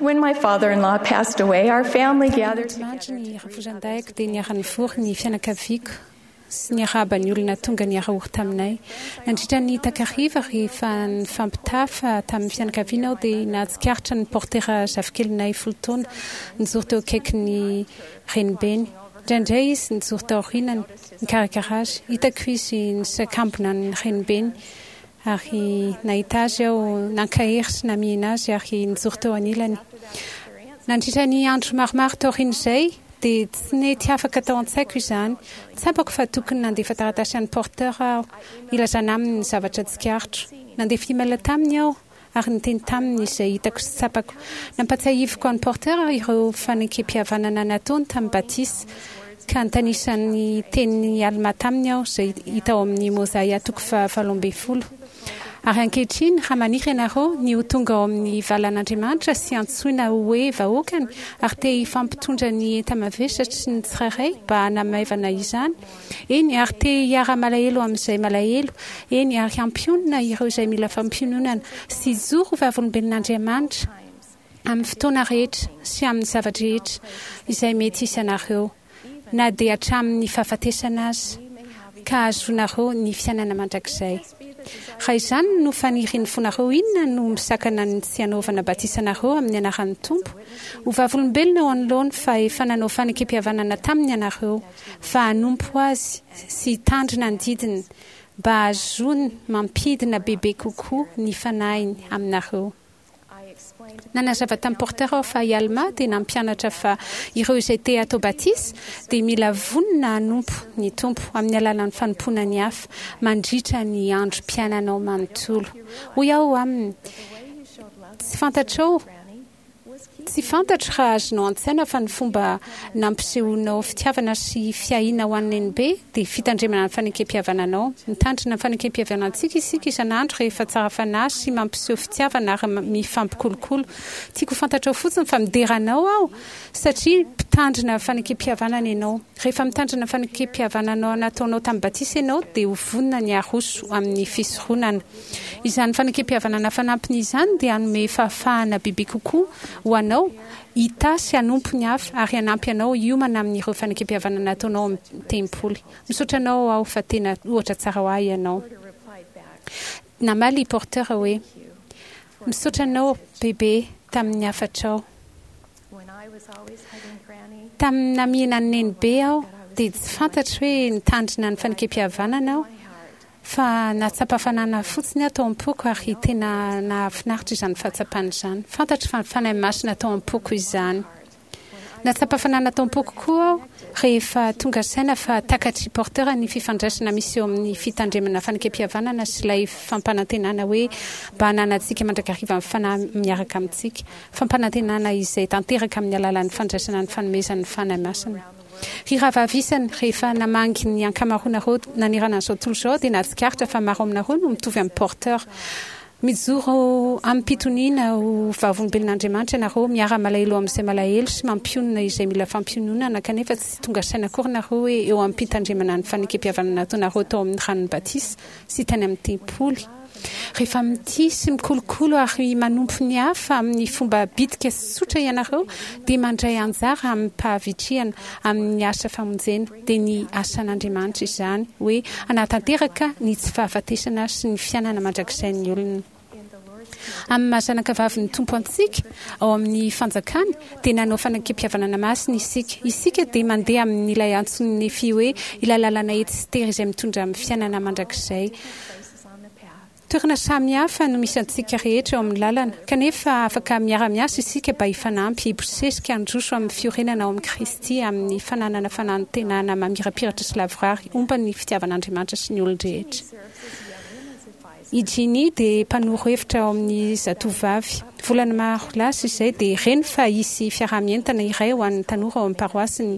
When my father-in-law passed away, our family gathered Andriamanitra ny rafozan-dahiko dia niara-nivory ny fianakaviako sy niarahaba ny olona tonga niara-ory taminay. Nandritra ny takariva, rehefa nifampitafa tamin'ny fianakaviana aho dia nahatsikaritra ny Porter zafikelinay 10 taona nijoro teo akaikin'ny renibeny. Indraindray izy nijoro tao aorianany, nikarakara azy. Hitako izy nisakambina ny renibeny ary nahita azy aho nankahery sy namihina azy ary nijoro teo anilany. Nandritra ny andro maromaro taorian'izay dia tsy nety afaka tao an-tsaiko izany. Tsapako fa tokony nandefa taratasy an'i Porter aho hilazana aminy ny zavatra tsikaritro. Nandefa email taminy aho ary niteny taminy izay hitako sy tsapako. Nampatsiahiviko an'i Porter ireo fanekempihavanana nataony tamin'ny batisa, ka nitanisa ny tenin'i Almà taminy aho, izay hita ao amin'ny Môzaia toko faha-18. Ary ankehitriny, raha maniry ianareo ny ho tonga ao amin'ny valan'Andriamanitra sy antsoina ho hoe vahoakany, ary te hifampitondra ny enta-mavesatry ny tsirairay mba hanamaivana izany, Eny, ary te hiara-malahelo amin'izay malahelo, eny, ary hampionona ireo izay mila fampiononana, sy hijoro ho vavolombelon'Andriamanitra amin'ny fotoana rehetra sy amin'ny zava-drehetra izay mety hisy anareo, na dia hatramin'ny fahafatesana aza, ka hahazoanareo ny fiainana mandrakizay. Raha izany no fanirian'ny fonareo, inona no misakana ny tsy hanaovana batisa anareo amin'ny anaran'ny Tompo? Ho vavolombelona eo anoloany fa efa nanao fanekempihavanana taminy ianareo. fa hanompo Azy sy hitandrina ny didiny mba hahazoany mampidina bebe kokoa ny Fanahiny aminareo. Nanazava tamin'i Porter aho fa i Almà dia nampianatra fa ireo izay te hatao batisa dia mila vonona hanompo ny Tompo amin'ny alalan'ny fanompoana ny hafa mandritra ny androm-piainanao manontolo. Hoy aho aminy, Tsy fantatrao Tsy fantatro raha azonao an-tsaina fa ny fomba nampisehoanao fitiavana sy fiahiana ho an'i Nenibe dia fitandremana ny fanekempihavananao. Mitandrina ny fanekempihavanantsika isika isan'andro rehefa tsara fanahy sy mampiseho fitiavana ary mifampikolokolo. Tiako ho fantatrao fotsiny fa midera anao aho satria mpitandrina fanekempihavanana ianao. Rehefa mitandrina ny fanekempihavananao nataonao tamin'ny batisa ianao dia ho vonona ny haroso amin'ny fisoronana. Izany fanekempihavanana fanampiny izany dia hanome fahafahana bebe kokoa ho anao hitahy sy hanompo ny hafa ary hanampy anao hiomana amin'ireo fanekempihavanana ataonao ao amin'ny tempoly. Misaotra anao aho fa tena ohatra tsara ho ahy ianao. Namaly i Porter hoe, Misaotra anao bebe tamin'ny hafatrao. Tamin'ny namihina an'i Nenibe aho dia tsy fantatro hoe nitandrina ny fanekempihavanana aho Fa nahatsapa hafanana fotsiny aho tao am-poko ary tena nahafinaritra izany fahatsapana izany. Fantatro fa ny Fanahy Masina tao am-poko izany. Nahatsapa hafanana tao am-poko koa aho rehefa tonga saina fa takatr'i Porter ny fifandraisana misy eo amin'ny fitandremana fanekempihavanana sy ilay fampanantenana hoe mba hananantsika mandrakariva ny Fanahy miaraka amintsika, fampanantenana izay tanteraka amin'ny alalan'ny fandraisana ny fanomezan'ny Fanahy Masina. Ry rahavavy isany, rehefa namangy ny ankamaroanareo nanerana an'izao tontolo izao dia nahatsikaritra fa maro aminareo no mitovy amin'i Porter. Mijoro amim-pitoniana ho vavolombelon'Andriamanitra ianareo, miara-malahelo amin'izay malahelo sy mampionona izay mila fampiononana, kanefa tsy tonga saina akory nareo hoe eo am-pitandremana ny fanekempihavanana nataonareo tao amin'ny ranon'ny batisa sy tany amin'ny tempoly. Rehefa mitia sy mikolokolo ary manompo ny hafa amin'ny fomba bitika sy tsotra ianareo, dia mandray anjara amim-pahavitrihana amin'ny asa famonjena, dia ny asan'Andriamanitra izany, hoe hanatanteraka ny tsy fahafatesana sy ny fiainana mandrakizain'ny olona. Amin'ny maha zanakavavin'ny Tompo antsika, ao amin'ny fanjakany, dia nanao fanekempihavanana masina isika. Isika dia mandeha amin'ilay antson'i Nefia hoe ilay lalana ety sy tery izay mitondra amin'ny fiainana mandrakizay. Toerana samy hafa no misy antsika rehetra eo amin'ny lalana, kanefa afaka miara-miasa isika mba hifanampy, hibosesika, handroso amin'ny fiorenana ao amin'i Kristy, amin'ny fananana fanantenana mamirapiratra sy lavorary omba ny fitiavan'Andriamanitra sy ny olon-drehetra. I Jeannie dia mpanoro hevitra ao amin'ny Zatovovavy. Volana maro lasa izay dia reny fa hisy fiaraha-mientana iray ho an'ny tanora ao amin'ny paroasiny.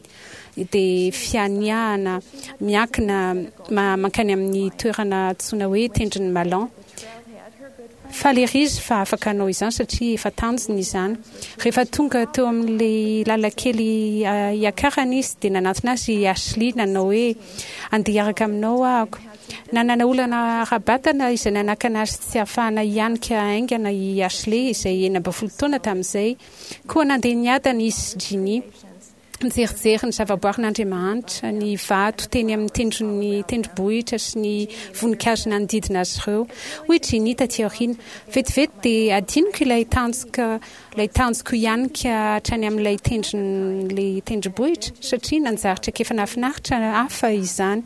dia fianiahana miankina mankany amin'ny toerana antsoina hoe Tendron'ny Malan. Faly ery izy fa afaka hanao izany satria efa tanjony izany. Rehefa tonga teo amin'ilay lalan-kely hiakarana izy dia nanantona azy i Ashley nanao hoe, Andeha hiaraka aminao ahako. Nanana olana ara-batana izay nanakana azy tsy hahafahana hianika haingana i Ashley izay 16 taona tamin'izay. Koa nandeha niadana izy sy Ginny. Nijerijery ny zavaboarin'Andriamanitra, ny vato teny amin'ny tendron'ny tendrombohitra sy ny voninkazo nanodidina azy ireo. Hoy Ginny tatỳ aoriana, Vetivety dia hadinoko ilay tanjoko ilay tanjoko hianika hatrany amin'ilay tendron'ilay tendrombohitra, satria nanjary traikefa nahafinaritra hafa izany.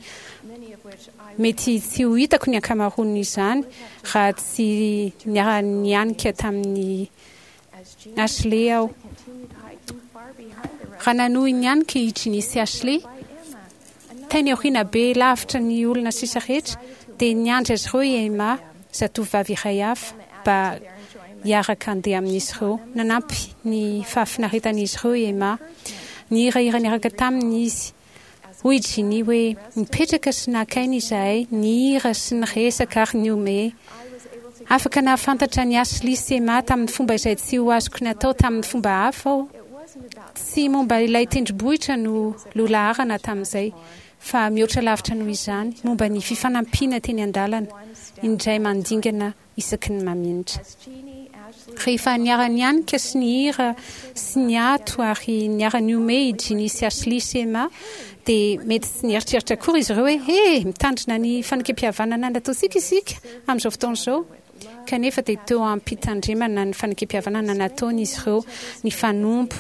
Mety tsy ho hitako ny ankamaroan'izany raha tsy niara-nianika tamin'i Ashley aho. Raha nanohy nianika i Ginny sy Ashley, tany aoriana be lavitra ny olona sisa rehetra, dia niandry azy ireo i Emma, zatovovavy iray hafa, mba hiaraka handeha amin'izy ireo. Nanampy ny fahafinaretan'izy ireo i Emma. Nihirahira niaraka taminy izy. Hoy i Ginny hoe, Nipetraka sy naka aina izahay, nihira sy niresaka ary nihomehy. Afaka nahafantatra an'i Ashley sy Emma tamin'ny fomba izay tsy ho azoko natao tamin'ny fomba hafa aho. Tsy momba ilay tendrombohitra no lohalaharana tamin'izay, fa mihoatra lavitra noho izany, momba ny fifanampiana teny an-dalana, indray mandingana isaky ny mamindra. Rehefa niara-nianika sy nihira sy niato ary niara-nihomehy i Ginny sy Ashley sy Emma, dia mety tsy nieritreritra akory izy ireo hoe, He! Mitandrina ny fanekempihavanana nataontsika isika amin'izao fotoana izao. Kanefa dia teo am-pitandremana ny fanekempihavanana nataony izy ireo, nifanompo,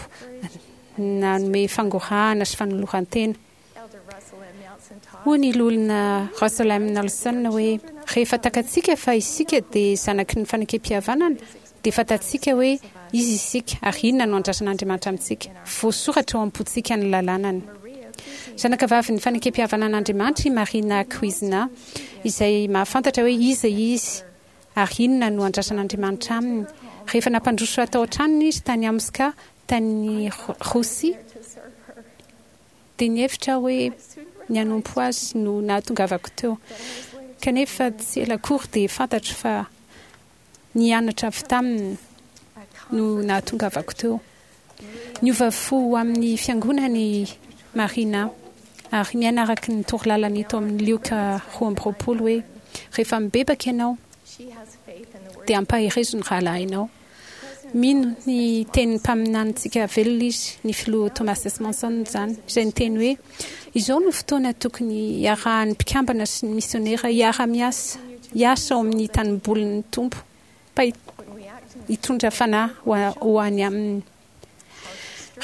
nanome fangorahana sy fanoloran-tena. Hoy ny Loholona Russell M. Nelson hoe, Rehefa takatsika fa isika dia zanaky ny fanekempihavanana, dia fantatsika hoe iza isika ary inona no andrasan'Andriamanitra amintsika. Voasoratra ao am-pontsika ny lalànany. Zanakavavin'ny fanekempihavanan'Andriamanitra i Marina Cuisna, izay mahafantatra hoe iza izy ary inona no andrasan'Andriamanitra aminy. Rehefa nampandroso tao an-tranony izy tany Omsk, tany Rosia, Dia nihevitra aho hoe ny hanompo azy no nahatongavako teo. Kanefa tsy ela akory dia fantatro fa ny hianatra avy taminy no nahatongavako teo. Niova fo ho amin'ny Fiangonana i Marina ary miaina araka ny torolalana hita ao amin'ny Lioka 22 hoe, Rehefa mibebaka ianao, dia ampaherezo ny rahalahinao. Mino ny tenin'ny mpaminanintsika velona izy, ny Filoha Thomas S. Monson izany, izay niteny hoe, Izao no fotoana tokony hiarahan'ny mpikambana sy ny misionera hiara-miasa, hiasa ao amin'ny tanimbolin'ny Tompo, mba hitondra fanahy ho any Aminy.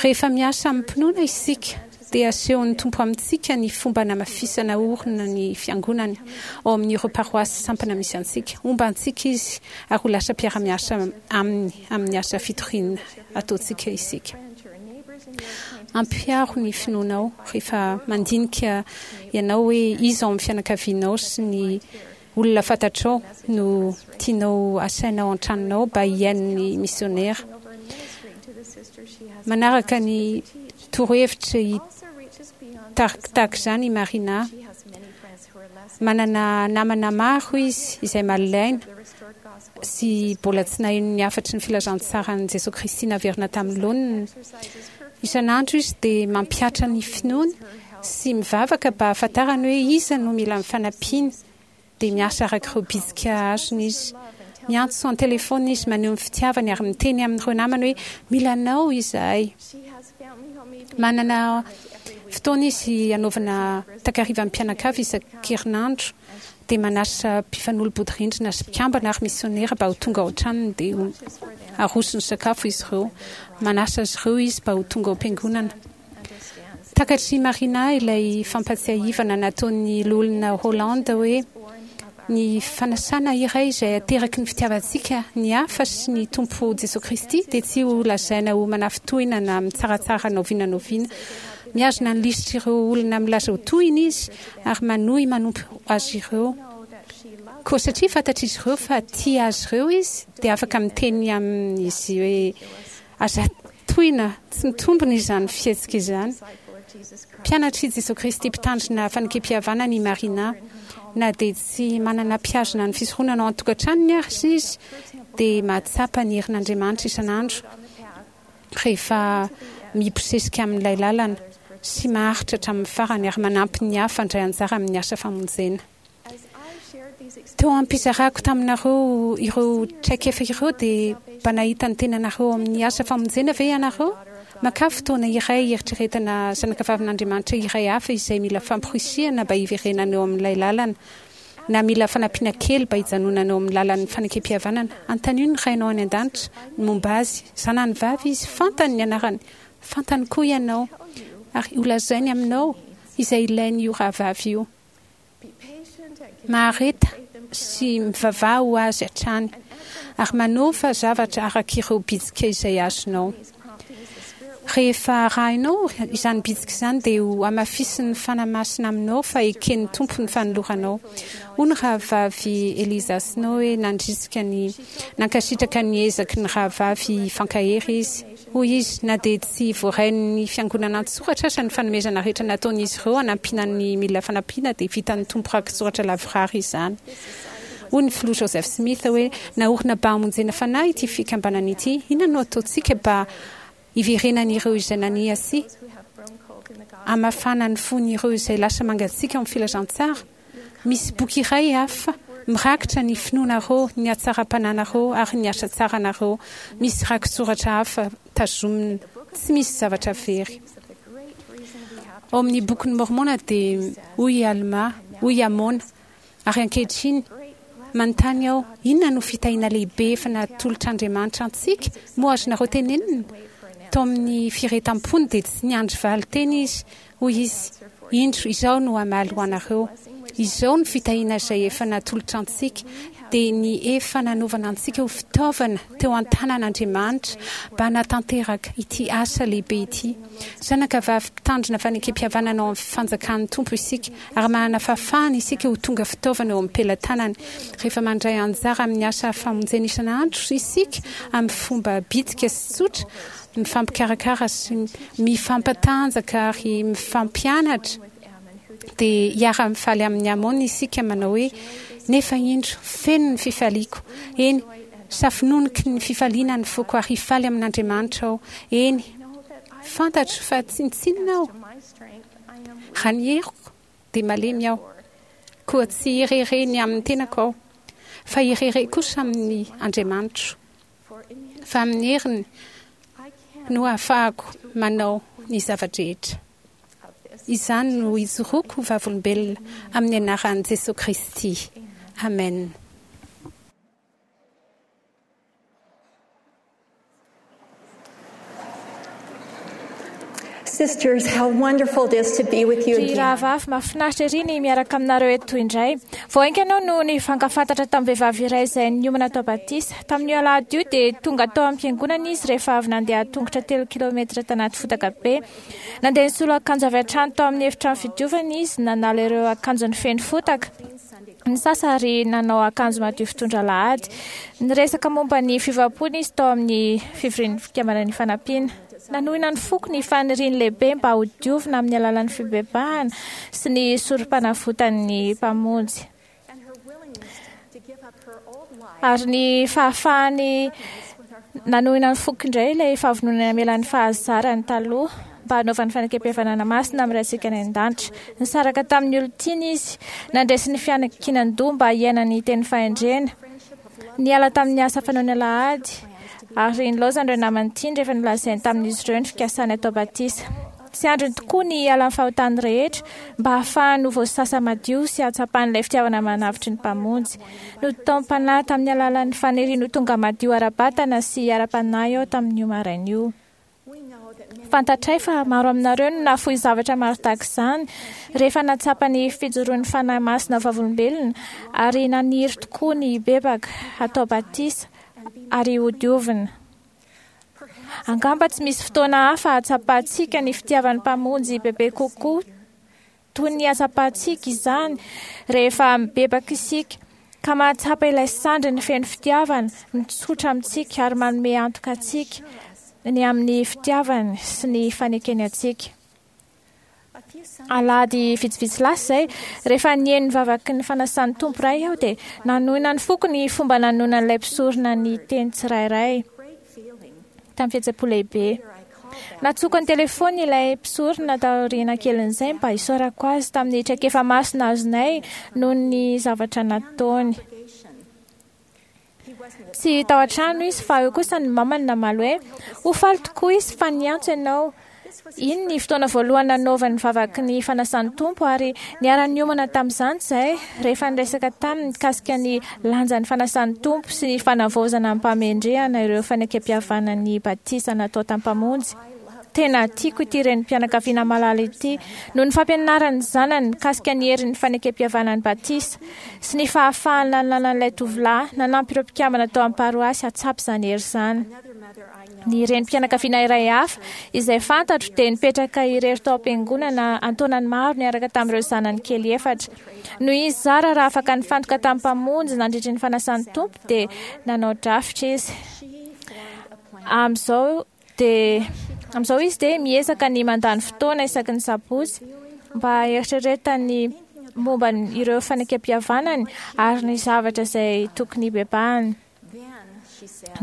Rehefa miasa amim-pinoana isika, dia asehon'ny Tompo amintsika ny fomba hanamafisana orina ny Fiangonany ao amin'ireo paroasy sampana misy antsika. Homba antsika Izy ary ho lasa mpiara-miasa Aminy amin'ny asa fitoriana ataontsika isika. Ampiharo ny finoanao rehefa mandinika ianao hoe iza ao amin'ny fianakavianao sy ny Olona fantatrao no tianao asaina ao an-tranonao mba hihaino ny misionera. Manaraka ny torohevitra tahaka izany i Marina. Manana namana maro izy izay malaina sy mbola tsy naheno ny hafatry ny filazantsaran'i Jesoa Kristy naverina tamin'ny laoniny. Isan'andro izy dia mampihatra ny finoany sy mivavaka mba hahafantarany hoe iza no mila ny fanampiany, dia miasa araka ireo bitsika azony izy. Miantso an-telefaonina izy, maneho ny fitiavany ary miteny amin'ireo namany hoe, Mila anao izahay. Manana fotoana izy hanaovana takarivan'ny mpianakavy isan-kerinandro, dia manasa mpifanolo-bodirindrina sy mpikambana ary misionera mba ho tonga ao an-tranony, dia arosony sakafo izy ireo. Manasa azy ireo izy mba ho tonga ao am-piangonana. Takatr'i Marina ilay fampatsiahivana nataon'ny Loholona Holland hoe, Ny fanasana iray izay ateraky ny fitiavantsika ny hafa sy ny Tompo Jesoa Kristy dia tsy ho lazaina ho manafintohina na mitsaratsara na oviana na oviana. Mihazona ny lisitr'ireo olona milaza ho tohina izy ary manohy manompo azy ireo. Koa satria fantatr'izy ireo fa tia azy ireo izy dia afaka miteny amin'izy hoe, Aza Tohina tsy mitombina izany fihetsika izany. Mpianatr'i Jesoa Kristy mpitandrina fanekempihavanana i Marina. Na dia tsy manana mpihazona ny fisoronana ao an-tokantranony aza izy, dia mahatsapa ny herin'Andriamanitra isan'andro rehefa mibosesika amin'ilay lalana sy maharitra hatramin'ny farany ary manampy ny hafa handray anjara amin'ny asa famonjena. Teo am-pizarako taminareo ireo traikefa ireo dia mba nahita ny tenanareo ao amin'ny asa famonjena ve ianareo? Makà fotoana iray hieritreretana zanakavavin'Andriamanitra iray hafa izay mila famporisihana mba hiverenana eo amin'ilay lalana, na mila fanampiana kely mba hijanonana eo amin'ny lalan'ny fanekempihavanana. Anontanio ny Rainao any An-danitra ny momba azy. Zanany vavy izy. Fantany ny anarany. Fantany koa ianao. Ary holazainy aminao izay ilain'io rahavavy io. Mahareta sy mivavaha ho azy hatrany, ary manaova zavatra araka ireo bitsika izay azonao. Rehefa arahinao izany bitsika izany dia ho hamafisin'ny Fanahy Masina aminao fa eken'ny Tompo ny fanoloranao. Hoy ny Rahavavy Eliza Snow hoe nandrisika ny nankasitraka ny ezaky ny rahavavy hifankahery izy. Hoy izy, Na dia tsy voarain'ny Fiangonana an-tsoratra aza ny fanomezana rehetra nataon'izy ireo hanampiana ny mila fanampiana dia vitan'ny Tompo raki-tsoratra lavorary izany. Hoy ny Filoha Joseph Smith hoe, Naorina ba hamonjena fanahy ity fikambanana ity. Inona no ataontsika ba hiverenan'ireo izay nania sy hamafana ny fon'ireo izay lasa mangatsiaka ao amin'ny filazantsara? Misy boky iray hafa mirakitra ny finoanareo, ny hatsaram-pananareo ary ny asa tsaranareo. Misy rakitsoratra hafa tazomina. Tsy misy zavatra very. Ao amin'ny Bokin'i Môrmôna dia hoy i Almà, hoy i Amôna, Ary ankehitriny, manontany aho, inona no fitahiana lehibe efa natolotr'Andriamanitra antsika? Moa azonareo tenenina? Tao amin'ny firehetam-pony dia tsy niandry valin-teny izy. Hoy izy, Indro, izaho no hamaly ho anareo. Izao no fitahiana izay efa natolotra antsika, dia ny efa nanaovana antsika ho fitaovana teo an-tanan' Andriamanitra mba hanatanteraka ity asa lehibe ity. Zanaka vavy mpitandrina fanekempihavanana ao amin'ny fanjakan'ny Tompo isika, ary manana fahafahana isika ho tonga fitaovana eo am-pelatanany. Rehefa mandray anjara amin'ny asa famonjena isan'andro isika amin'ny fomba bitika sy tsotra, mifampikarakara sy mifampatanjaka ary mifampianatra, dia hiara-mifaly amin'i Amôna isika manao hoe, Nefa indro, feno ny fifaliako, eny, safononoky ny fifaliana ny foko ary hifaly amin'Andriamanitra aho, eny, fantatro fa tsinontsinona aho, raha ny heriko dia malemy aho, koa tsy hirehareha ny amin'ny tenako aho, fa hirehareha kosa amin'ny Andriamanitro. Fa amin'ny heriny no ahafahako manao ny zava-drehetra. Izany no ijoroako ho vavolombelona amin'ny anaran'i Jesoa Kristy. Amena. Sisters, how wonderful it is to be with you Ry again. rahavavy, mahafinaritra ery ny miaraka aminareo eto indray. Vao haingana aho no nifankafantatra tamin'ny vehivavy iray izay niomana atao batisa. Tamin'io alahady io dia tonga tao am-piangonana izy rehefa avy nandeha an-tongotra telo kilaometatra tanaty fotaka be. Nandeha nisolo akanjo avy hatrany tao amin'ny efitrano fidiovana izy, nanala ireo akanjony feno fotaka. Nisasa ary nanao akanjo madio fitondra alahady. Niresaka momba ny fiovam-pony izy tao amin'ny fivorian'ny Fikambanana Ifanampiana. Nanohina ny foko ny faniriany lehibe mba hodiovina amin'ny alalan'ny fibebahana sy ny sorompanavotan'ny Mpamonjy. Ary ny fahafahany nanohina ny foko indray ilay fahavononany hamela ny fahazarany taloha mba hanaovany fanekempihavanana masina amin'ny Raintsika any An-danitra. Nisaraka tamin'ny olon-tiany izy, nandresy ny fiankinan-doha mba hiaina ny teny fahendrena, niala tamin'ny asa fanaony alahady, ary nilaozany ireo namany tiany rehefa nolazainy tamin'izy ireo ny fikasany hatao batisa. Tsy andriny tokoa ny hiala amin'ny fahotany rehetra mba hahafahany ho voasasa madio sy hahatsapany ilay fitiavana manavotry ny Mpamonjy. Notaom-panahy tamin'ny alalan'ny faniriany ho tonga madio ara-batana sy ara-panahy aho tamin'io maraina io. Fantatray fa maro aminareo no nahafoy zavatra maro tahaka izany rehefa nahatsapa ny fijoroan'ny Fanahy Masina ho vavolombelona ary naniry tokoa ny hibebaka, hatao batisa ary hodiovina. Angamba tsy misy fotoana hafa ahatsapantsika ny fitiavan'ny Mpamonjy bebe kokoa toy ny ahatsapantsika izany rehefa mibebaka isika ka mahatsapa ilay sandriny feno fitiavana mitsotra amintsika ary manome antoka antsika ny amin'ny fitiavany sy ny fanekeny antsika. Alahady vitsivitsy lasa izay, rehefa nihaino ny vavaky ny fanasan'ny Tompo Ray aho dia nanohina ny foko ny fomba nanononan'ilay mpisorona ny teny tsirairay tamin'ny fihetseham-po lehibe. Nantsoiko an-telefôny ilay mpisorona taoriana kelin'izay mba hisaorako azy tamin'ny traikefa masina azonay noho ny zavatra nataony. Tsy tao an-trano izy fa eo kosa ny mamany namaly hoe ho faly tokoa izy fa niantso ianao. Iny ny fotoana voalohany nanaovany vavaky ny fanasan'ny Tompo ary niara-niomana tamin'izany izahay rehefa niresaka taminy mikasika ny lanjan'ny fanasan'ny Tompo sy ny fanavaozana amim-pahamendrehana ireo fanekempihavanan'ny batisa natao tamin'ny Mpamonjy. Tena tiako ity renim-pianakaviana malala ity noho ny fampianaran'ny zanany mikasika ny herin'ny fanekempihavanan'ny batisa sy ny fahafahana nanan'ilay tovolahy nanampy ireo mpikambana tao amin'ny paroasy hahatsapa izany hery izany. Ny renim-pianakaviana iray hafa izay fantatro dia nipetraka irery tao am-piangonana an-taonany maro niaraka tamin'ireo zanany kely efatra. Noho izy zara raha afaka nifantoka tamin'ny Mpamonjy nandritry ny fanasan'ny Tompo dia nanao drafitra izy. Amin'izao dia amin'izao izy dia miezaka ny mandany fotoana isaky ny sabotsy mba hieritreretany momba ireo fanekempihavanany ary ny zavatra izay tokony hibebahany.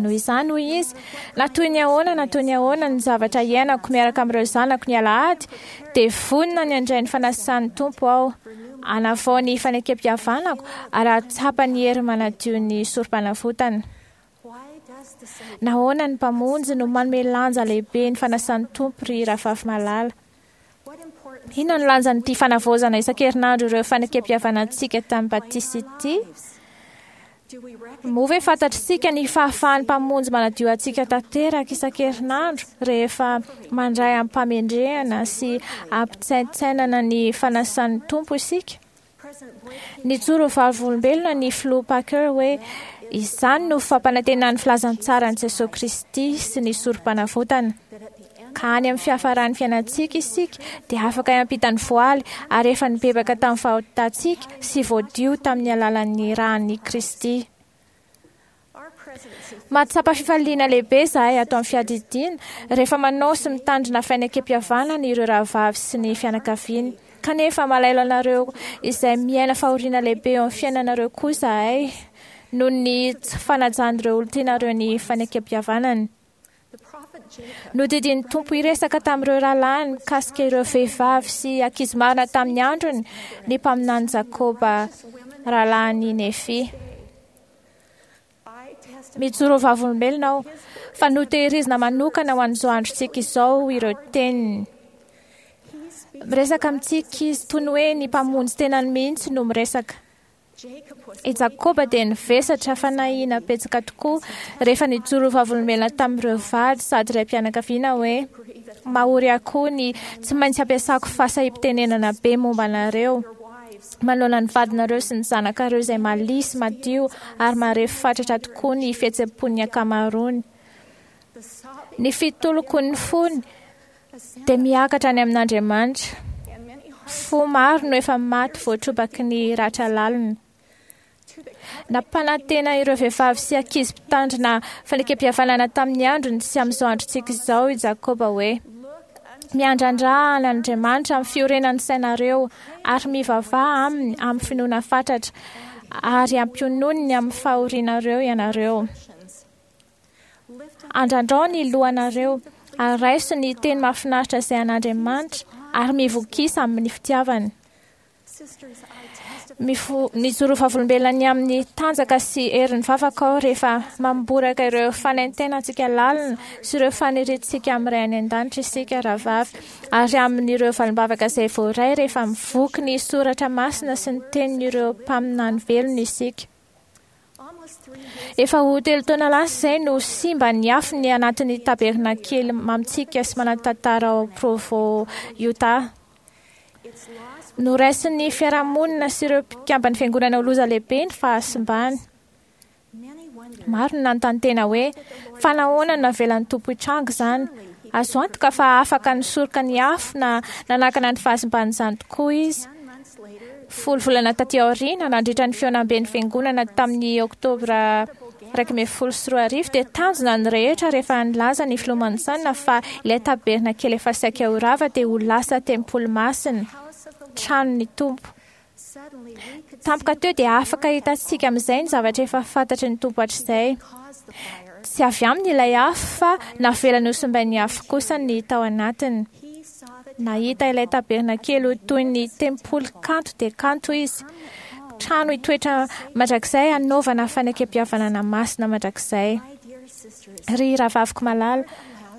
Noho izany, hoy izy, na toy ny ahoana na toy ny ahoana ny zavatra iainako miaraka amin'ireo zanako ny alahady, dia vonona ny handray ny fanasan'ny Tompo aho, hanavao ny fanekempihavanako ary hahatsapa ny hery manadio ny sorom-panavotana. Nahoana ny Mpamonjy no manome lanja lehibe ny fanasan'ny Tompo, ry rahavavy malala? Inona no lanjan'ity fanavaozana isan-kerinandro ireo fanekempihavanantsika tamin'ny batisa ity? Moa ve fantatr'isika ny fahafahan'ny Mpamonjy manadio antsika tanteraka isan-kerinandro rehefa mandray amim-pahamendrehana sy ampitsaintsainana ny fanasan'ny Tompo isika? Nijoro ho vavolombelona ny Filoha Packer hoe izany no fampanantenan'ny filazantsaran'i Jesoa Kristy sy ny sorom-panavotana. Ka any amin'ny fiafaran'ny fiainantsika isika dia afaka hiampita ny voaly ary efa nibebaka tamin'ny fahotantsika sy voadio tamin'ny alalan'ny ran'i Kristy. Mahatsapa fifaliana lehibe izahay ato amin'ny fiadidiana rehefa manao sy mitandrina fanekempihavanana ireo rahavavy sy ny fianakaviany. Kanefa malahelo anareo izay miaina fahoriana lehibe eo amin'ny fiainanareo koa izahay noho ny tsy fanajan'ireo olon-tianareo ny fanekempihavanany. Nodidian'ny Tompo hiresaka tamin'ireo rahalahiny mikasika ireo vehivavy sy ankizy marina tamin'ny androny ny mpaminany Jakoba rahalahin'i Nefy. Mijoro ho vavolombelona aho fa notehirizina manokana ho an'izao androntsika izao ireo teniny. Miresaka amintsika izy toy ny hoe ny Mpamonjy tenany mihitsy no miresaka. I Jakoba dia nivesatra fanahiana betsaka tokoa rehefa nijoro ho vavolombelona tamin'ireo vady sady raim-pianakaviana hoe, Mahory ahy koa ny tsy maintsy ampiasako fahasahiam-pitenenana be momba anareo manoloana ny vadinareo sy ny zanakareo izay malia sy madio ary marefo fatratra tokoa ny fihetseham-pon'ny ankamaroany. Ny fitolokon'ny fony dia miakatra any amin'Andriamanitra. Fo maro no efa maty voatrobaky ny ratra lalina. Nampanantena ireo vehivavy sy ankizy mpitandrina fanekempihavanana tamin'ny androny sy amin'izao androntsika izao i Jakoba hoe, Miandrandrà an'Andriamanitra amin'ny fiorenan'ny sainareo ary mivavaha aminy amin'ny finoana fatratra, ary ampiononiny amin'ny fahorianareo ianareo. Andrandrao ny lohanareo ary raiso ny teny mahafinaritra izay an'Andriamanitra ary mivokisa amin'ny fitiavany. Mijoro vavolombelona ny amin'ny tanjaka sy herin'ny vavaka aho rehefa mamboraka ireo fanaintainantsika lalina sy ireo faniriantsika amin'ny Ray any An-danitra isika rahavavy, ary amin'ireo valim-bavaka izay voaray rehefa mivoky ny soratra masina sy ny tenin'ireo mpaminany velona isika. Efa ho 3 taona lasa izay no simba ny afo ny anatin'ny tabernakely mamintsika sy manan-tantara ao Provo, Utah. Noraisin'ny fiarahamonina sy ireo mpikamban'ny fiangonana ho loza lehibe ny fahasimbany. Maro no nanontany tena hoe, fa nahoana no navelan'ny Tompo hitranga izany? Azo antoka fa afaka nisoroka ny afo na nanakana ny fahasimban'izany tokoa izy. 10 volana taty aoriana, nandritra ny fihaonamben'ny fiangonana tamin'ny Oktobra 2011, dia tanjona ny rehetra rehefa nilaza ny filoha Monson fa ilay tabernakely efa saika ho rava dia ho lasa tempoly masina, tranon'ny Tompo. Tampoka teo dia afaka hitantsika amin'izay ny zavatra efa fantatry ny Tompo hatrizay. Tsy avy aminy ilay afo fa navelany ho simbain'ny afo kosa ny tao anatiny. Nahita ilay tabernakely ho toy ny tempoly kanto dia kanto izy. Trano hitoetra mandrakizay hanaovana fanekempihavanana masina mandrakizay. Ry rahavaviko malala,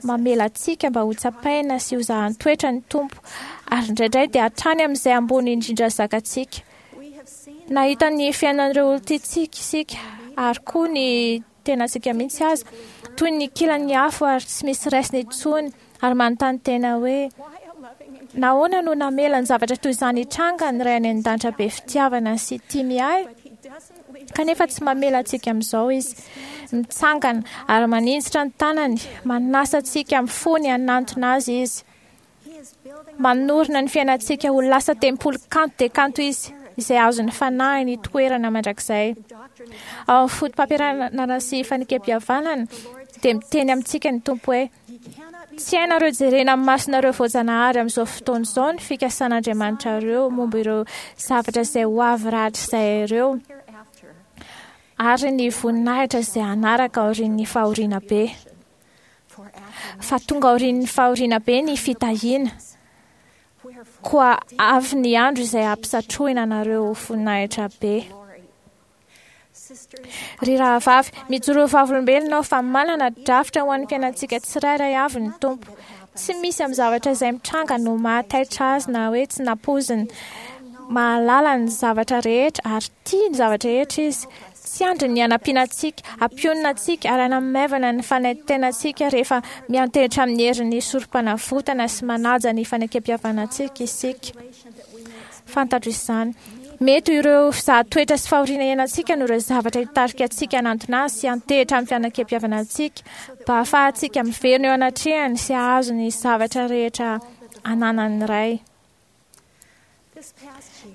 mamela antsika mba hotsapaina sy hozahan-toetra ny Tompo, ary indraindray dia hatrany amin'izay ambony indrindra zakantsika. Nahita ny fiainan'ireo olon-tiantsika isika, ary koa ny tenantsika mihitsy aza, toy ny kilan'ny afo ary tsy misy raisina intsony, ary manontany tena hoe, Nahoana no namela ny zavatra toy izany hitranga ny Ray any An-danitra be fitiavana sy tia miahy? Kanefa tsy mamela antsika amin'izao Izy. Mitsangana ary maninjitra ny tanany, manasa antsika amin'ny fony hanantona Azy Izy. Manorina ny fiainantsika ho lasa tempoly kanto dia kanto Izy, izay azon'ny Fanahiny itoerana mandrakizay. Ao amin'ny fotopampianarana sy fanekempihavanana dia miteny amintsika ny Tompo hoe, Tsy hainareo jerena amin'ny masonareo voajanahary amin'izao fotoana izao ny fikasan'Andriamanitrareo momba ireo zavatra izay ho avy rahatrizay ireo, ary ny voninahitra izay hanaraka aorian'ny fahoriana be. Fa tonga aorian'ny fahoriana be ny fitahiana. Koa avy ny andro izay hampisatrohina anareo voninahitra be. Ry rahavavy, mijoroa vavolombelona aho fa manana drafitra ho an'ny fiainantsika tsirairay avy ny Tompo. Tsy misy amin'ny zavatra izay mitranga no mahataitra Azy na hoe tsy nampoiziny. Mahalala ny zavatra rehetra ary tia ny zavatra rehetra Izy. Tsy andriny ny hanampiana antsika, hampionona antsika ary hanamaivana ny fanaintainantsika rehefa miantehitra amin'ny herin'ny Sorompanavotana sy manaja ny fanekempihavanantsika isika. Fantatro izany. Mety ho ireo fizahan-toetra sy fahoriana iainantsika no ireo zavatra hitarika antsika hanantona Azy sy hiantehitra amin'ny fianakempihavanantsika, mba hahafahantsika miverina eo anatrehany sy hahazo ny zavatra rehetra ananan'ny Ray.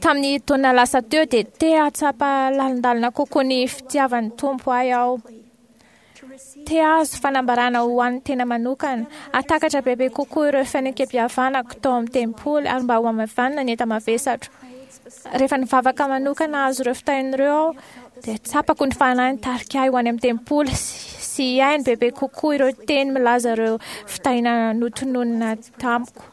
Tamin'ny taona lasa teo dia te hahatsapa lalindalina kokoa ny fitiavan'ny Tompo ahy aho. Te hahazo fanambarana ho an'ny tena manokana, hahatakatra bebe kokoa ireo fanekempihavanako tao amin'ny tempoly ary mba hohamaivanina ny enta-mavesatro. Rehefa nivavaka manokana hahazo ireo fitahiana ireo aho, dia tsapako ny Fanahy nitarika ahy ho any amin'ny tempoly sy hihaino bebe kokoa ireo teny milaza ireo fitahiana notononina tamiko.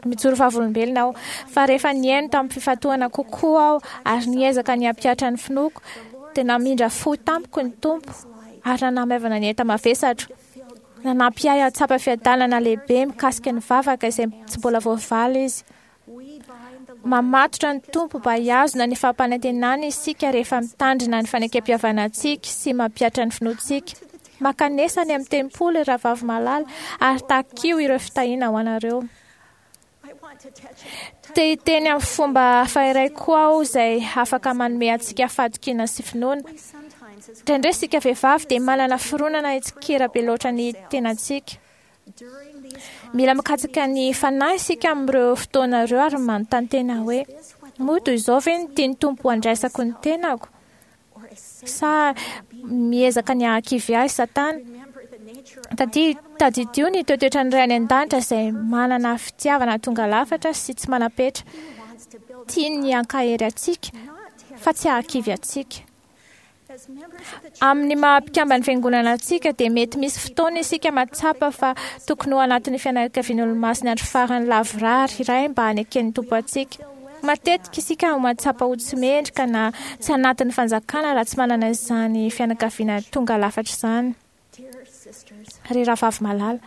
Mijoro vavolombelona aho fa rehefa nihaino tamin'ny fifantohana kokoa aho ary niezaka ny hampihatra ny finoako, dia namindra fo tamiko ny Tompo ary nanamaivana ny enta-mavesatro. Nanampy ahy hahatsapa fiadanana lehibe mikasika ny vavaka izay tsy mbola voavaly Izy. Mamatotra ny Tompo mba hihazona ny fampanantenany isika rehefa mitandrina ny fanekempihavanantsika sy mampihatra ny finoantsika. Mankanesa any amin'ny tempoly, ry rahavavy malala, ary takio ireo fitahiana ho anareo. Te hiteny amin'ny fomba hafa iray koa aho izay afaka manome antsika fahatokiana sy finoana. Indraindray isika vehivavy dia manana fironana hitsikera be loatra ny tenantsika. Mila mikatsaka ny Fanahy isika amin'ireo fotoana ireo ary manontany tena hoe, Moa toy izao ve no tian'ny Tompo handraisako ny tenako? Sa miezaka ny hahakivy ahy Satana? Tadidio ny toetoetran'ny Ray any An-danitra izay manana fitiavana tonga lafatra sy tsy manam-petra. Tiany ny hankahery antsika fa tsy hahakivy antsika. Amin'ny maha mpikamban'ny Fiangonana antsika dia mety misy fotoana isika mahatsapa fa tokony ho anatin'ny fianakavian'Olomasin'ny Andro Farany lavorary iray mba haneken'ny Tompo antsika. Matetika isika no mahatsapa ho tsy mendrika na tsy anatin'ny fanjakana raha tsy manana izany fianakaviana tonga lafatra izany. Ry rahavavy malala,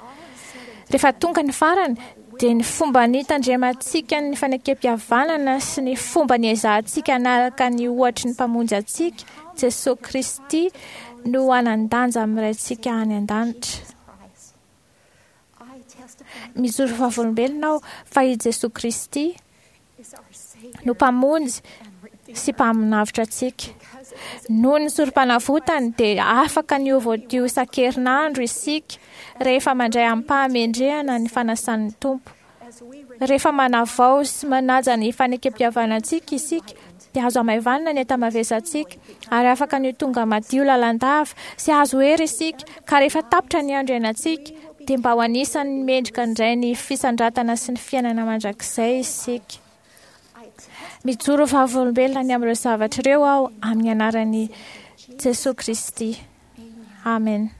rehefa tonga ny farany, dia ny fomba nitandremantsika ny fanekempihavanana sy ny fomba niezahantsika hanaraka ny ohatry ny Mpamonjy antsika, Jesoa Kristy, no hanan-danja amin'ny Raintsika any An-danitra. Mijoro vavolombelona aho fa i Jesoa Kristy no Mpamonjy sy Mpaminavotra antsika. Noho ny Sorompanavotany dia afaka ny ho voadio isan-kerinandro isika rehefa mandray amim-pahamendrehana ny fanasan'ny Tompo. Rehefa manavao sy manaja ny fanekempihavanantsika isika dia azo hamaivanina ny enta-mavesantsika ary afaka ny ho tonga madio lalandava sy hahazo hery isika ka rehefa tapitra ny andro iainantsika dia mba ho anisan'ny mendrika indray ny fisandratana sy ny fiainana mandrakizay isika. Mijoro vavolombelona ny amin'ireo zavatra ireo aho amin'ny anaran'i Jesoa Kristy. Amen.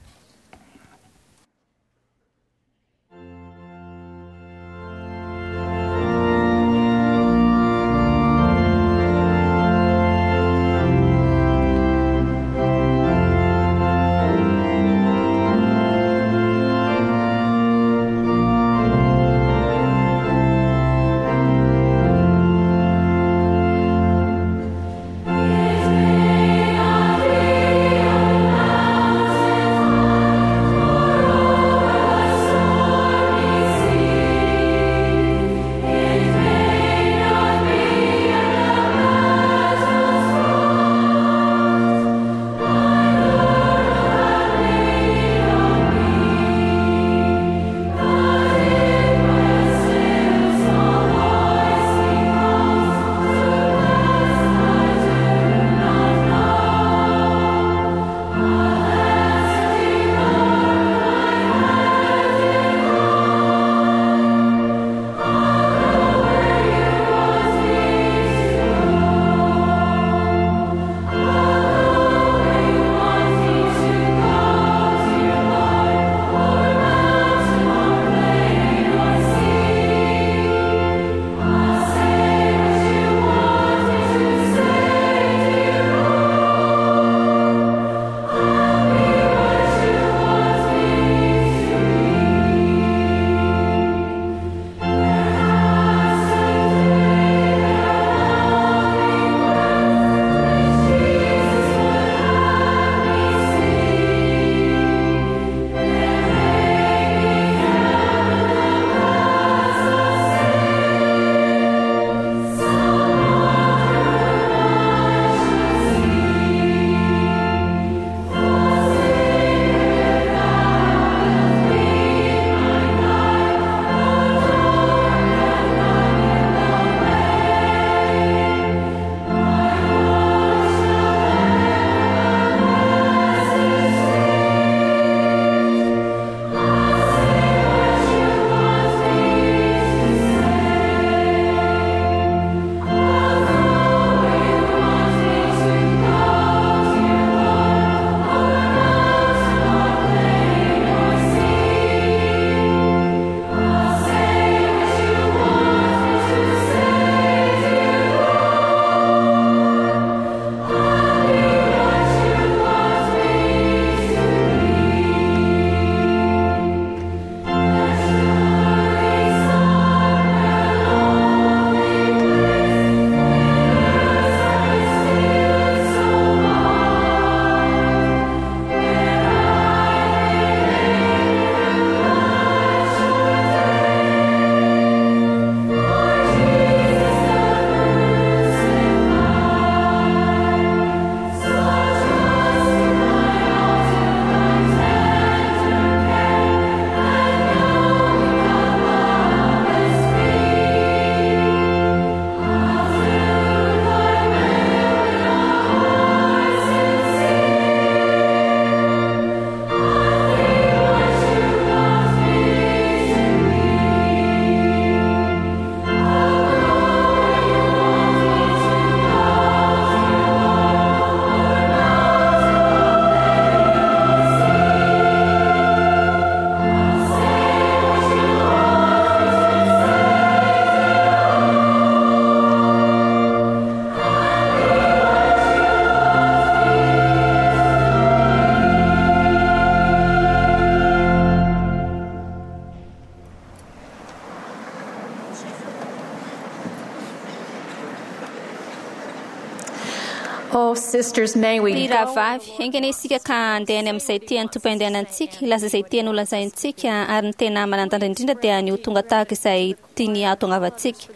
Oh, sisters, may we Ry go rahavavy, haingana isika ka handeha any amin'izay tian'ny Tompo handehanantsika, hilaza izay tiany holazaintsika, ary ny tena manan-danja indrindra dia ny ho tonga tahaka izay tiany hahatongavantsika.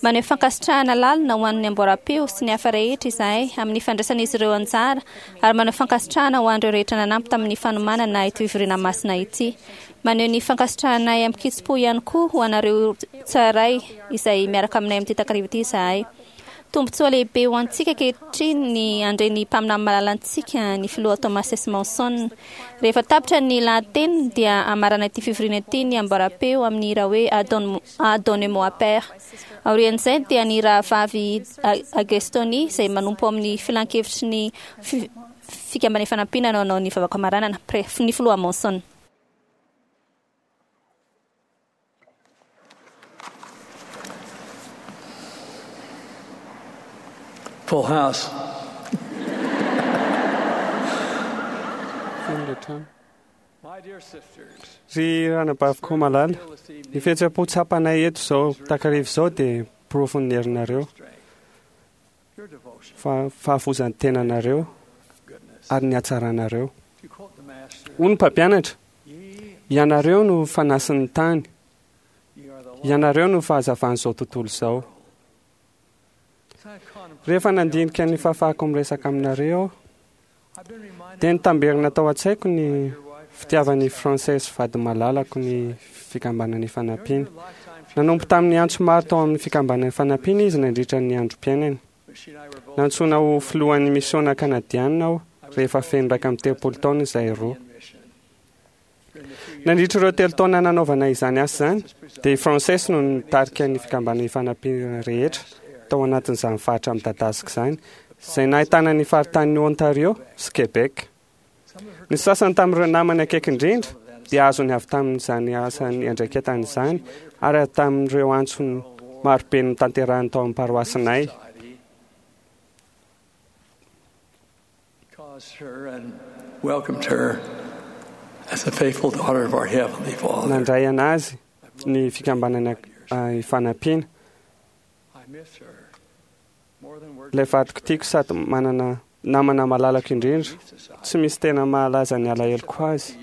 Maneho fankasitrahana lalina ho an'ny amboaram-peo sy ny hafa rehetra izahay amin'ny fandraisan'izy ireo anjara, ary maneho fankasitrahana ho an'ireo rehetra nanampy tamin'ny fanomanana ity fivoriana masina ity. Maneho ny fankasitrahanay amin-kitsim-po ihany koa ho anareo tsirairay izay miaraka aminay amin'ity takariva ity izahay. Tombontsoa lehibe ho antsika ankehitriny ny handre ny mpaminany malalantsika, ny Filoha Thomas S. Monson. Rehefa tapitra ny lahateniny dia hamarana ity fivoriana ity ny amboaram-peo amin'ny hira hoe Adonne-moi Père. Aorian'izay dia ny rahavavy Agestoni izay manompo ao amin'ny filankevitry ny Fikambanana Ifanampiana no hanao ny vavaka famaranana, Pre, ny Filoha Monson. Full house. Feno ilay trano. Ry ranabaviko malala, ny fihetseham-po tsapanay eto izao takariva izao dia porofon'ny herinareo, fa fahafozan'ny tenanareo ary ny hatsaranareo. Hoy ny mpampianatra, Ianareo no fanasin'ny tany, ianareo no fahazavan'izao tontolo izao. Rehefa nandinika ny fahafahako miresaka aminareo aho, dia nitamberina tao an-tsaiko ny fitiavan'i Frances vady malalako ny Fikambanana Ifanampiana. Nanompo tamin'ny antso maro tao amin'ny Fikambanana Ifanampiana izy nandritra ny androm-piainany. Nantsoina ho filohan'ny misiona kanadianina aho rehefa feno 31 taona izahay roa. Nandritra ireo telo taona nanaovana izany asa izany, dia i Frances no nitarika ny Fikambanana Ifanampiana rehetra tao anatin'izany faritra midadasika izany, izay nahitana ny faritanin'i Ontario sy Québec. Ny sasany tamin'ireo namany akaiky indrindra dia azony avy tamin'izany asa niandraiketany izany ary avy tamin'ireo antsony marobe notanterahiny tao amin'ny paroasinay. Nandray an'azy ny Fikambanana Ifanampiana. Ilay vadiko tiako sady manana namana malalako indrindra, tsy misy tena mahalaza ny alaheloko azy.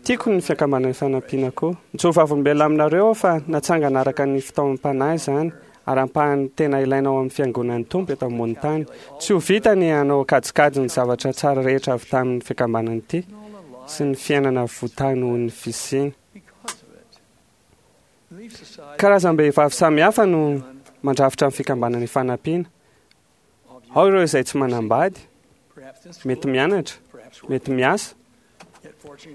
Tiako ny Fikambanana Ifanampiana koa. Mijoro vavolombelona aminareo aho fa natsangana araka ny fitaomam-panahy izany ary ampahany tena ilaina ao amin'ny Fiangonan'ny Tompo eto ambonin'ny tany. Tsy ho vita ny hanao kajikajy ny zavatra tsara rehetra avy tamin'ny fikambanana ity sy ny fiainana votahy noho ny fisiany. Karazam-behivavy samihafa no mandrafitra ny Fikambanana Ifanampiana. Ao ireo izay tsy manambady, mety mianatra, mety miasa,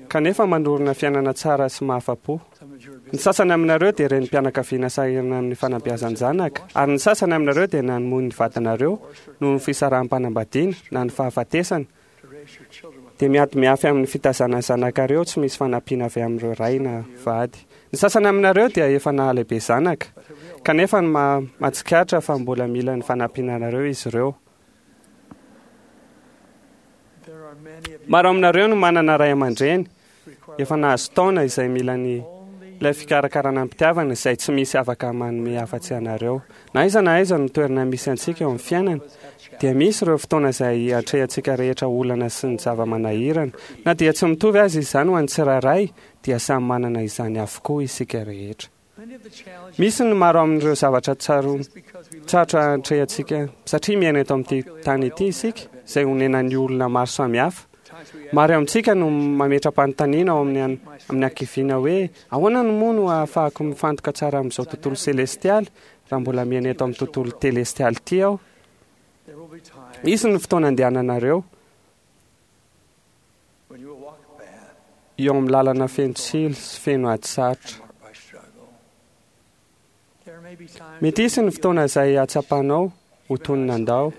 kanefa manorina fiainana tsara sy mahafa-po. Ny sasany aminareo dia renim-pianakaviana sahirana amin'ny fanabeazan-janaka, ary ny sasany aminareo dia namoy ny vadinareo noho ny fisaraham-panambadiana na ny fahafatesana, dia miady miafy amin'ny fitazana ny zanakareo tsy misy fanampiana avy amin'ireo ray na vady. Ny sasany aminareo dia efa nahalehibe zanaka, kanefa ny mahatsikaritra fa mbola mila ny fanampianareo izy ireo. Maro aminareo no manana ray aman-dreny efa nahazo taona izay mila ny ilay fikarakarana am-pitiavana izay tsy misy afaka manome afa-tsy anareo. Na aiza na aiza no toerana misy antsika eo amin'ny fiainana, dia misy ireo fotoana izay atrehantsika rehetra olana sy ny zava-manahirana. Na dia tsy mitovy aza izany ho an'ny tsirairay, dia samy manana izany avokoa isika rehetra. Misy ny maro amin'ireo zavatra tsarotra atrehantsika satria miaina eto amin'ity tany ity isika, izay onenan'ny olona maro samihafa. Maro amintsika no mametra-panontaniana ao amin'ny amin'ny hakiviana hoe, Ahoana no moa no ahafahako mifantoka tsara amin'izao tontolo selestialy raha mbola miaina eto amin'ny tontolo telestialy ity aho? Hisy ny fotoana andehananareo eo amin'ny lalana feno tsilo sy feno ady sarotra. Mety hisy ny fotoana izay hahatsapanao ho toy ny nandao,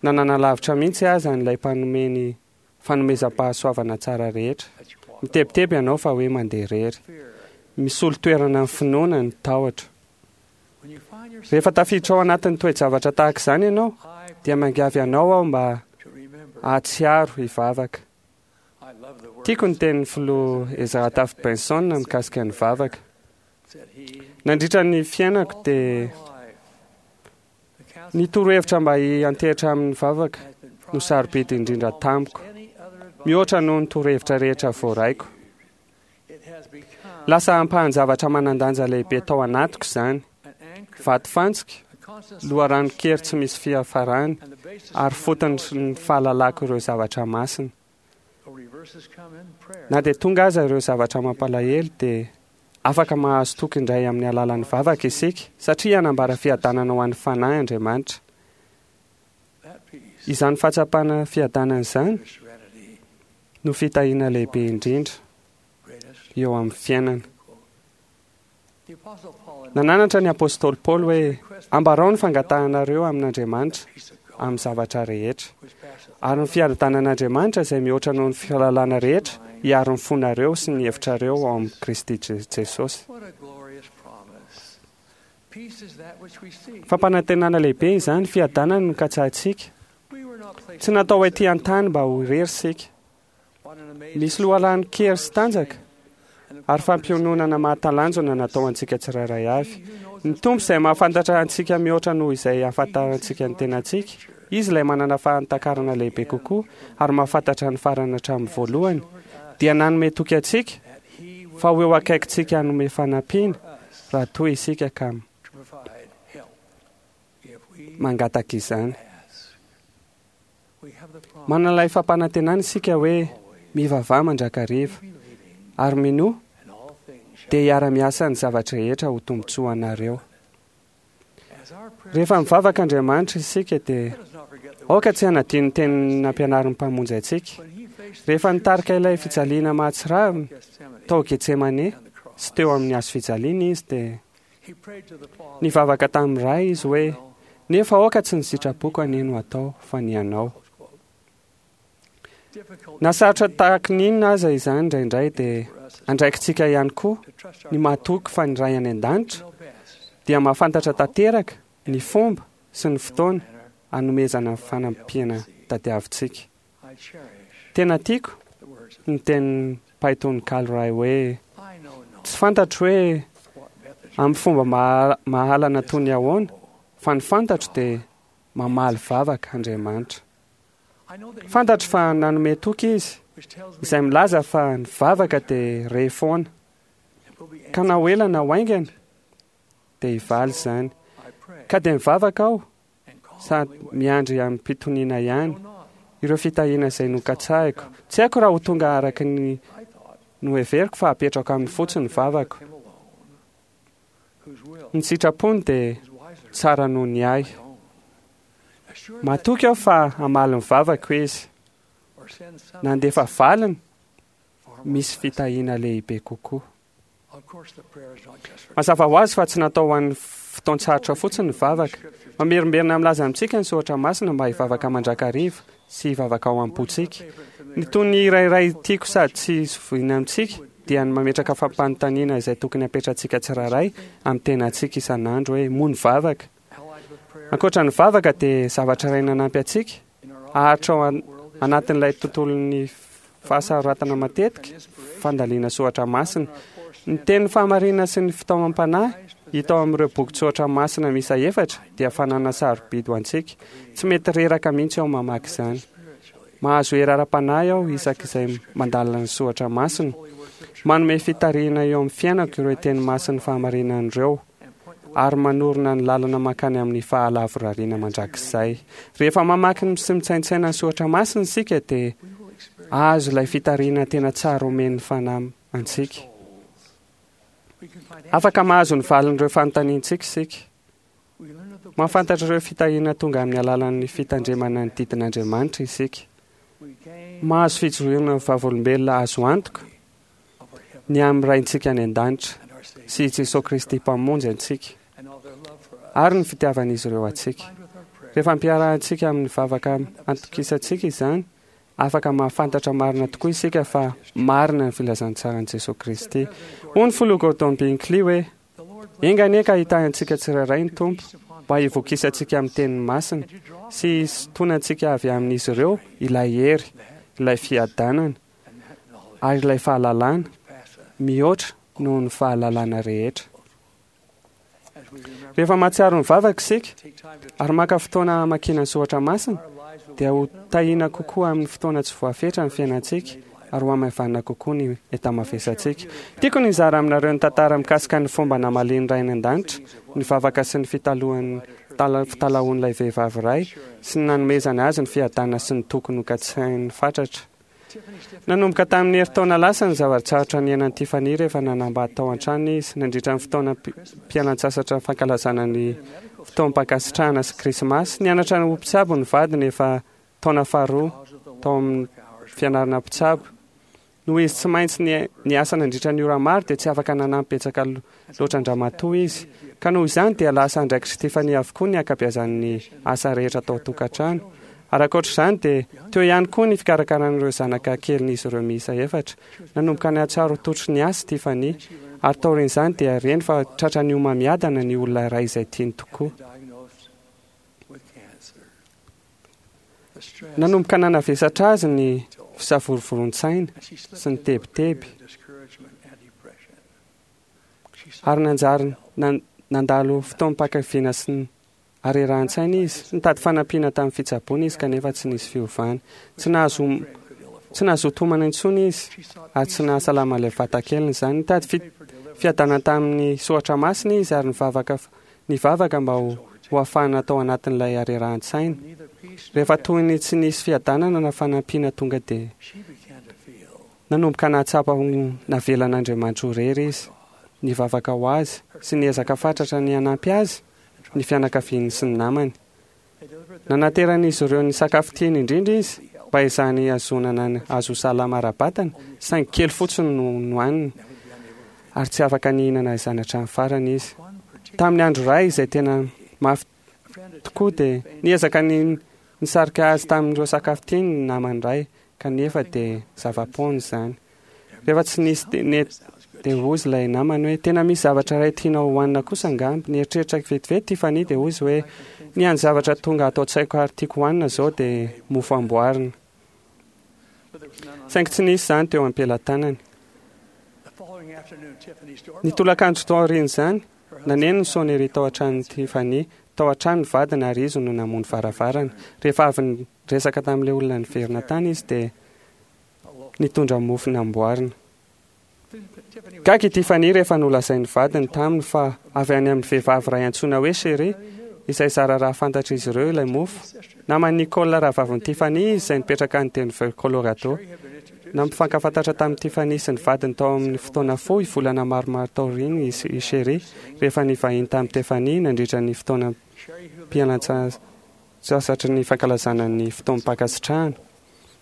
na nanalavitra mihitsy aza an'ilay mpanome ny fanomezam-pahasoavana tsara rehetra. Mitebiteby ianao fa hoe mandeha irery. Misolo toerana ny finoana ny tahotra. Rehefa tafiditra ao anatin'ny toe-javatra tahaka izany ianao, dia miangavy anao aho mba hahatsiaro hivavaka. Tiako ny tenin'ny filoha Ezra Taft Benson mikasika ny vavaka. Nandritra ny fiainako dia ny torohevitra mba hiantehitra amin'ny vavaka no sarobidy indrindra tamiko, mihoatra noho ny torohevitra rehetra voaraiko. Lasa ampahan-javatra manan-danja lehibe tao anatiko izany, vatofantsika, loharanon-kery tsy misy fiafarany, ary fotony ny fahalalako ireo zavatra masina. Na dia tonga aza ireo zavatra mampalahelo dia afaka mahazo toky indray amin'ny alalan'ny vavaka isika, satria hanambara fiadanana ho an'ny fanahy Andriamanitra. Izany fahatsapana fiadanana izany no fitahiana lehibe indrindra eo amin'ny fiainana. Nananatra ny apostoly Paoly hoe, Ambarao ny fangatahanareo amin'Andriamanitra. amin'ny zavatra rehetra. Ary ny fiadanan'Andriamanitra izay mihoatra noho ny fahalalana rehetra hiaro ny fonareo sy ny hevitrareo ao amin'i Kristy Jesosy. Fampanantenana lehibe izany, fiadanana no katsahintsika. Tsy natao ety an-tany mba ho irery isika. Misy loharanon-kery sy tanjaka ary fampiononana mahatalanjona natao antsika tsirairay avy. Ny Tompo izay mahafantatra antsika mihoatra noho izay ahafantarantsika ny tenantsika. Izy ilay manana fahatakarana lehibe kokoa ary mahafantatra ny farany hatramin'ny voalohany, dia nanome toky antsika fa ho eo akaikintsika hanome fanampiana raha toa isika ka mangataka izany. Manana ilay fampanantenana isika hoe mivavaha mandrakariva ary minoa dia hiara-miasa ny zavatra rehetra ho tombontsoa anareo. Rehefa mivavaka Andriamanitra isika dia aoka tsy hanadino ny teny nampianarin'ny Mpamonjy antsika. Rehefa nitarika ilay fijaliana mahatsiravina tao Getsemane sy teo amin'ny hazo fijaliana izy dia nivavaka tamin'ny Ray izy hoe nefa aoka tsy ny sitrapoko anie no atao fa ny anao. Na sarotra tahaky ny inona aza izany indraindray dia andraikitsika ihany koa ny mahatoky fa ny Ray any an-danitra dia mahafantatra tanteraka ny fomba sy ny fotoana hanomezana ny fanampiana tadiavintsika. Tena tiako ny tenin'ny mpahay tononkalo iray hoe tsy fantatro hoe amin'ny fomba mahalana toy ny ahoana fa ny fantatro dia mamaly vavaka Andriamanitra. Fantatro fa nanome toky izy izay milaza fa ny vavaka dia re foana. Ka na ho ela na ho haingana dia hivaly izany. Ka dia mivavaka aho sady miandry amim-pitoniana ihany ireo fitahiana izay nokatsahiko. Tsy haiko raha ho tonga araka ny noheveriko fa apetrako aminy fotsiny ny vavako. Ny sitrapony dia tsara noho ny ahy. Matoky aho fa hamaly ny vavako izy. Nandefa valiny misy fitahiana lehibe kokoa. Mazava ho azy fa tsy natao ho an'ny fotoan-tsarotra fotsiny ny vavaka. Mamerimberina milaza amintsika ny soratra masina mba hivavaka mandrakariva sy hivavaka ao am-pontsika. Ny tony iray tiako sady tsy zoviana amintsika dia ny mametraka fampanontaniana izay tokony hapetratsika tsirairay amin'ny tenantsika isan'andro hoe moa ny vavaka. Ankoatra ny vavaka dia zavatra iray nanampy antsika haharitra ao anatin'ilay tontolon'ny fahasaroratana matetika fandaliana soratra masina. Ny teny fahamarinana sy ny fitaomam-panahy hita ao amin'ireo bokin-tsoratra masina miisa 4 dia fananana sarobidy ho antsika. Tsy mety reraka mihitsy aho mamaky izany. Mahazo hery ara-panahy aho isak'izay mandalina ny soratra masina. Manome fitarihana eo amin'ny fiainako ireo teny masin'ny fahamarinana ireo ary manorina ny lalana mankany amin'ny fahalavorariana mandrakizay. Rehefa mamaky sy mitsaintsaina ny soratra masina isika dia azo ilay fitarihana tena tsara omen'ny fanahy antsika. Afaka mahazo ny valin'ireo fanontaniantsika isika. Mahafantatra ireo fitahiana tonga amin'ny alalan'ny fitandremana ny didin'Andriamanitra isika. Mahazo fijoroana vavolombelona azo antoka ny amin'ny Raintsika any an-danitra sy i Jesoa Kristy Mpamonjy antsika ary ny fitiavan'izy ireo antsika. Rehefa ampiarahantsika amin'ny vavaka antokisantsika izany, afaka mahafantatra marina tokoa isika fa marina ny filazantsaran'i Jesoa Kristy. Hoy ny filoha Gordon Hinckley hoe enga anie ka hitahy antsika tsirairay ny Tompo mba hivokisantsika amin'ny teniny masina sy hisintonantsika avy amin'izy ireo ilay hery, ilay fiadanana ary ilay fahalalana mihoatra noho ny fahalalana rehetra. Rehefa mahatsiaro ny vavaka isika ary maka fotoana hamakiana ny soratra masina dia ho tahiana kokoa amin'ny fotoana tsy voafetra ny fiainantsika ary ho hamaivanina kokoa ny enta-mavesantsika. Tiako ny hizara aminareo ny tantara mikasika ny fomba namalian'ny Ray any an-danitra ny vavaka sy ny fitalahoan'ilay vehivavy iray sy ny nanomezany azy ny fiadanana sy ny toky nokatsainy fatratra. Nanomboka tamin'ny herintaona lasa ny zava-tsarotra niainan'i Tiffany rehefa nanambady tao an-trano izy nandritra ny fotoana mpialan-tsasatra fankalazana ny fotoam-pankasitrahana sy krismasy. Nianatra ho mpitsabo ny vadiny efa taona faharoa tao amin'ny fianarana mpitsabo. Noho izy tsy maintsy niasa nandritra ny ora maro dia tsy afaka nanampy betsaka loatra an-dramatoa izy. Ka noho izany dia lasa andraikitr'i Tiffany avokoa ny ankabeazan'ny asa rehetra tao an-tokantrano. Ary ankoatra izany dia teo ihany koa ny fikarakarana ireo zanaka kelin'izy ireo miisa efatra. Nanomboka nahatsiaro ho tototry ny asa i Tiffany, ary taorian'izany dia reny fa tratran'ny homamiadana ny olona iray izay tiany tokoa. Nanomboka nanavesatra azy ny fisavorovoroan-tsaina sy ny tebiteby, ary nanjary nandalo fotoam-pankaviana sy ny harerahan-tsaina izy. Nitady fanampiana tamin'ny fitsaboana izy kanefa tsy nisy fiovana. Tsy nahazo tsy nahazoa tomana intsony izy ary tsy nahasalama ilay vatakeliny izany. Nitady fiadanana tamin'ny soratra masina izy ary nivavaka nivavaka mba ho ho afahana tao anatin'ilay harerahan-tsaina. Rehefa toy ny tsy nisy fiadanana na fanampiana tonga dia nanomboka nahatsapa ho navelan'Andriamanitra ho irery izy. Nivavaka ho azy sy niezaka fatratra ny hanampy azy ny fianakaviany sy ny namany. Nanateran'izy ireo ny sakafo tiany indrindra izy mba hezahany hihazonana ny azy ho salama ara-batana, saingy kely fotsiny no nohaniny ary tsy afaka nihinana izany hatramin'ny farany izy. Tamin'ny andro iray izay tena mafy tokoa dia niezaka ny nisarika azy tamin'ireo sakafo tiany ny namany iray, kanefa dia zava-poana izany. Rehefa tsy nisy nety dia hozy ilay namany hoe tena misy zavatra iray tianao hohanina kosa angamba. Nieritreritra vetivety Tiffany dia hozy hoe ny hany zavatra tonga ato an-tsaiko ary tiako hohanina izao dia mofo amboarina. Saingy tsy nisy izany teo am-pelatanany. Ny tolakandro taorian'izany, naneno ny sonnerie tao an-tranon'i Tiffany. Tao an-trano ny vadiny ary izy no namoha ny varavarana. Rehefa avy niresaka tamin'ilay olona niverina tany izy dia nitondra mofo namboarina. Gaga i Tiffany rehefa nolazain'ny vadiny taminy fa avy any amin'ny vehivavy iray antsoina hoe Sherry, izay zara raha fantatr'izy ireo ilay mofo. Naman'i Nicole rahavavin'i Tiffany izy izay nipetraka any Denver, Colorado. Nampifankafantatra tamin'i Tiffany sy ny vadiny tao amin'ny fotoana fohy volana maromaro taoriany i Sherry rehefa nivahiny tamin'i Tiffany nandritra ny fotoanam-pialantsasatry ny fankalazana ny fotoam-pankasitrahana.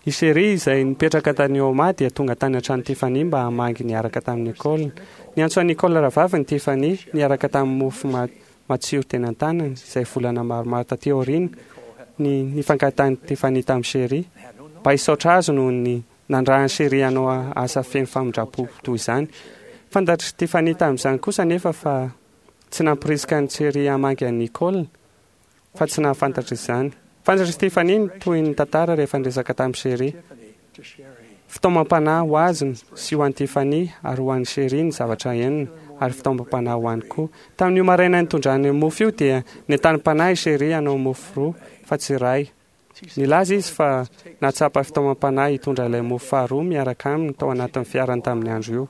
I Sherry izay nipetraka tany Omaha dia tonga tany an-tranon'i Tiffany mba hamangy niaraka tamin'i Nicole. Niantso an'i Nicole rahavaviny Tiffany niaraka tamin'ny mofo matsiro teny an-tanany, izay volana maromaro taty aoriana ny nifankahitan'i Tiffany tamin'i Sherry, mba hisaotra azy noho ny nandrahan'i Sherry hanao asa feno famindram-po toy izany. Fantatr'i Tiffany tamin'izany kosa anefa fa tsy nampirisika an'i Sherry hamangy an'i Nicole fa tsy nahafantatra izany. Fantatr'i Tiffany ny tohin'ny tantara rehefa niresaka tamin'i Sherry. Fitaomam-panahy ho azy sy ho an'i Tiffany ary ho an'i Sherry ny zavatra henony, ary fitaomam-panahy ho any koa. Tamin'io maraina nitondrany mofo io dia nentanim-panahy i Sherry hanao mofo roa fa tsy iray. Nilaza izy fa nahatsapa fitaomam-panahy hitondra ilay mofo faharoa miaraka aminy tao anatin'ny fiarany tamin'ny andro io.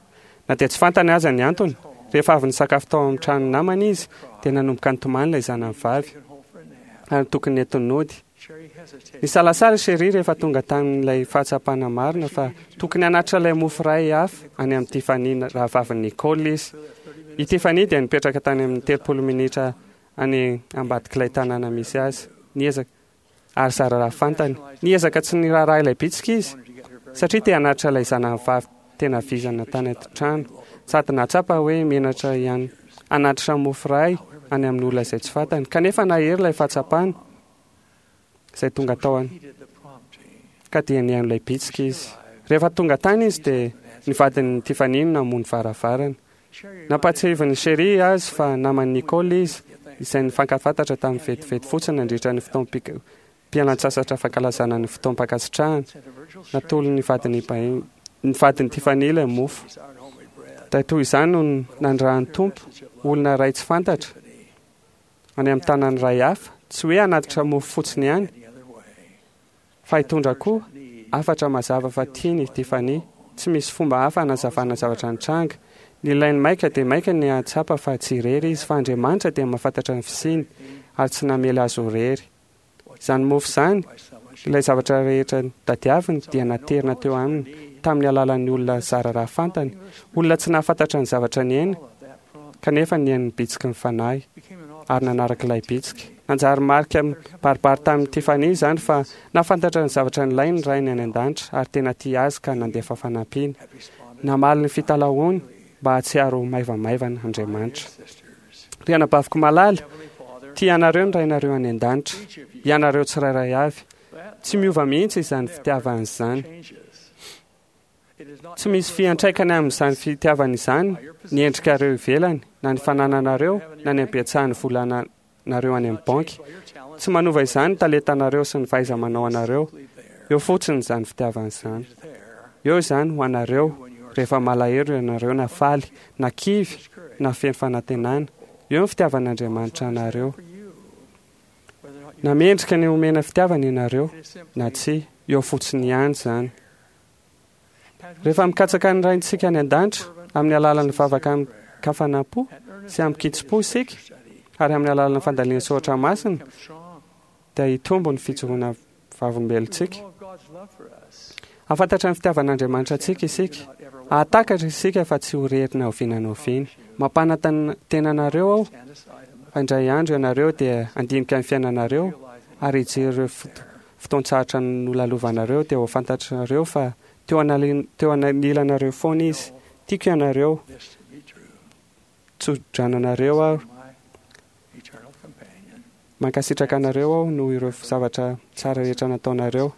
Na dia tsy fantany aza ny antony, rehefa avy nisakafo tao amin'ny tranon'ny namany izy dia nanomboka nitomany ilay zanany vavy ary tokony nentiny nody. Nisalasala i Sherry rehefa tonga tamin'ilay fahatsapana marina fa tokony hanatitra ilay mofo iray hafa any amin'i Tiffany rahavavin'i Nicole izy. I Tiffany dia nipetraka tany amin'ny 30 minitra any ambadik'ilay tanàna misy azy. Niezaka ary zara raha fantany. Niezaka tsy niraharaha ilay bitsika izy, satria te hanatitra ilay zanany vavy tena vizana tany an-trano, sady nahatsapa hoe menatra ihany hanatitra mofo iray any amin'olona izay tsy fantany. Kanefa nahery ilay fahatsapana izay tonga tao an ka dia nihaino ilay bitsika izy. Rehefa tonga tany izy dia ny vadin'i Tiffany no namoha ny varavarana. Nampahatsiahivin'i Sherry azy fa naman'i Nicole izy, izay nifankafantatra tamin'ny vetivety fotsiny nandritra ny fotoam-pialan-tsasatra fankalazana ny fotoam-pankasitrahana. Natolony ny vadin'i ny vadin'i Tiffany ilay mofo. Dia toy izany no nandrahan'ny Tompo olona iray tsy fantatra any amin'ny tanàna iray hafa, tsy hoe hanatitra mofo fotsiny ihany, Fa hitondra koa hafatra mazava fa tiany i Tiffany. Tsy misy fomba hafa hanazavana zavatra nitranga. Nilainy maika dia maika ny hahatsapa fa tsy irery izy, fa Andriamanitra dia mahafantatra ny fisiany ary tsy namela azy ho irery. Izany mofo izany, ilay zavatra rehetra tadiaviny, dia naterina teo aminy tamin'ny alalan'ny olona zara raha fantany, olona tsy nahafantatra ny zavatra niaina, kanefa nihaino ny bitsiky ny Fanahy ary nanaraka ilay bitsika. Nanjary marika mibaribary tamin'i Tiffany izany fa nahafantatra ny zavatra nilainy ny Rainy any an-danitra ary tena tia azy ka nandefa fanampiana. Namaly ny fitalahoany mba hahatsiaro ho maivamaivana Andriamanitra. Ry anabaviko malala, tia anareo ny Rainareo any an-danitra, ianareo tsirairay avy. Tsy miova mihitsy izany fitiavany izany. Tsy misy fiantraikany amin'izany fitiavana izany ny endrikareo ivelany, na ny fanananareo, na ny habetsahan'ny volanareo any amin'ny banky. Tsy manova izany ny talentanareo sy ny fahaiza-manao anareo. Eo fotsiny izany fitiavana izany. Eo izany ho anareo rehefa malahelo ianareo na faly, na kivy, na feno fanantenana. Eo ny fitiavan'Andriamanitra anareo. Na mendrika ny homena fitiavana ianareo na tsia, eo fotsiny ihany izany. Rehefa mikatsaka ny Raintsika any an-danitra amin'ny alalan'ny vavaka amin-kafanam-po sy amin-kitsim-po isika, ary amin'ny alalan'ny fandalina soratra masina, dia hitombo ny fijoroana vavolombelontsika. Hahafantatra ny fitiavan'Andriamanitra antsika isika. Hahatakatra isika fa tsy ho irery na oviana na oviana. Mampanantena anareo aho fa indray andro ianareo dia handinika ny fiainanareo ary hijery ireo fotoan-tsarotra nolalovanareo dia ho fantatrareo fa teo teo anilanareo foana Izy. Tiako ianareo. Tso-drano anareo aho. Mankasitraka anareo aho noho ireo zavatra tsara rehetra nataonareo.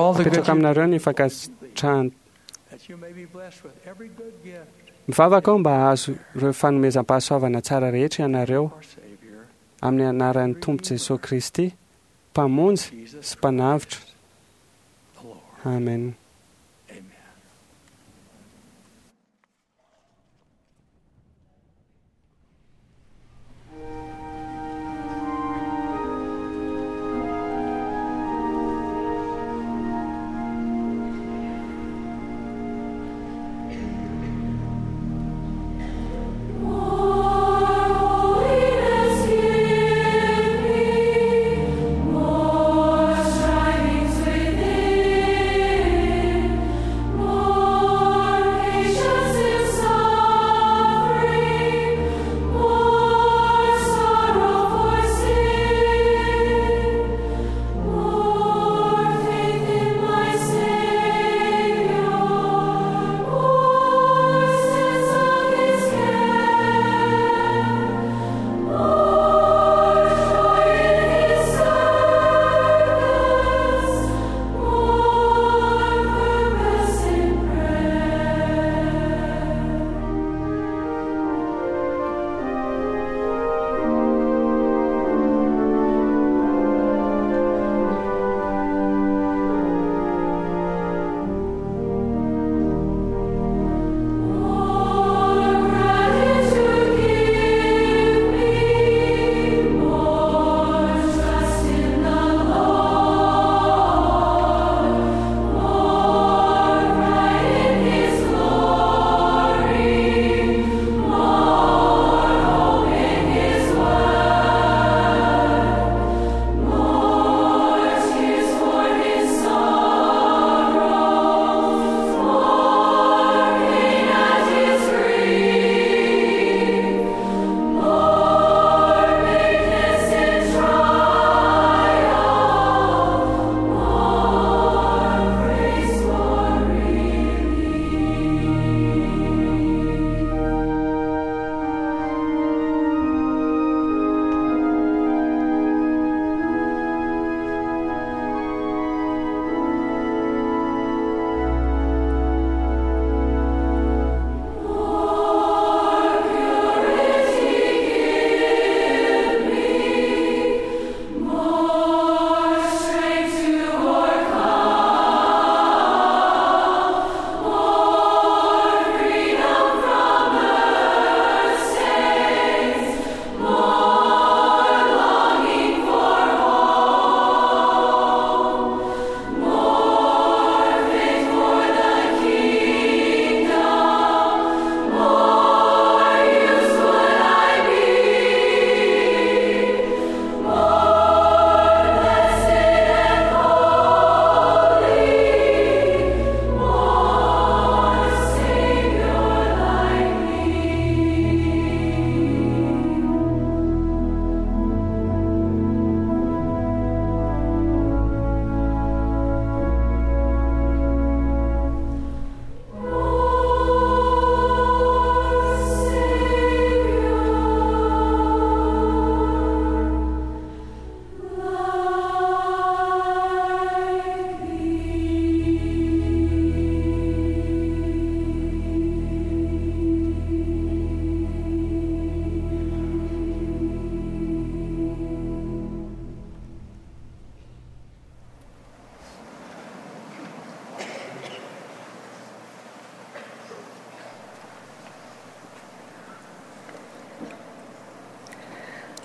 Apetrako aminareo ny fankasitrahana. Mivavaka aho mba hahazo ireo fanomezam-pahasoavana tsara rehetra ianareo, amin'ny anaran'ny Tompo Jesoa Kristy, Mpamonjy sy Mpanavotra. Amen.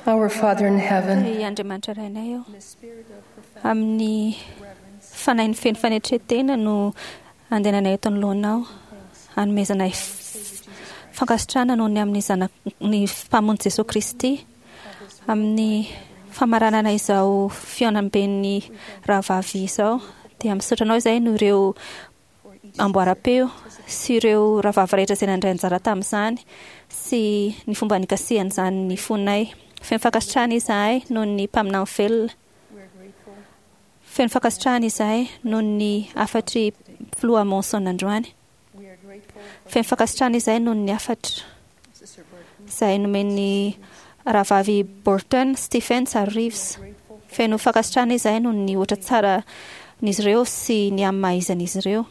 Our Father in heaven, Ry Andriamanitra Rainay ô, amin'ny fanahy feno fanetren-tena no andehananay eto anoloanao, hanomezanay fankasitrahana noho ny amin'ny Zanak ny Mpamonjy Jesoa Kristy, amin'ny famaranana izao fihaonamben'ny rahavavy izao, dia misaotra anao izahay noho ireo amboaram-peo sy ireo rahavavy rehetra izay nandray anjara tamin'izany sy ny fomba nikasihan'izany ny fonay. Feno fankasitrahana izahay noho ny mpaminany velona. Feno fankasitrahana izahay noho ny hafatry Filoha Monson androany. Feno fankasitrahana izahay noho ny hafatra izay nomen'ny rahavavy Burton, Stephens ary Reeves. Feno fankasitrahana izahay noho ny ohatra tsara n'izy ireo sy ny amin'ny maha izy an'izy ireo.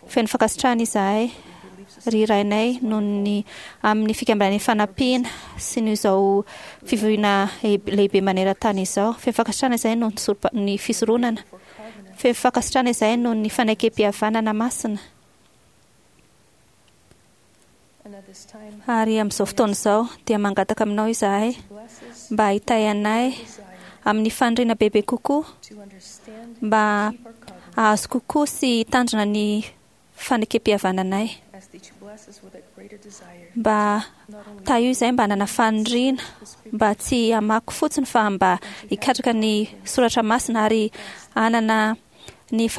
Feno fankasitrahana izahay, ry Rainay, noho ny amin'ny fikambanan'ny fanampiana sy noho izao fivoriana lehibe maneran-tany izao. Feno fankasitrahana izahay noho ny fisoronana. Feno fankasitrahana izahay noho ny fanekempihavanana masina. Ary amin'izao fotoana izao dia mangataka aminao izahay mba hitahy anay amin'ny faniriana bebe kokoa mba hahazo kokoa sy hitandrina ny fanekempihavananay. Mba tahio izahay mba hanana faniriana mba tsy hamaky fotsiny fa mba hikatraka ny soratra masina ary hanana ny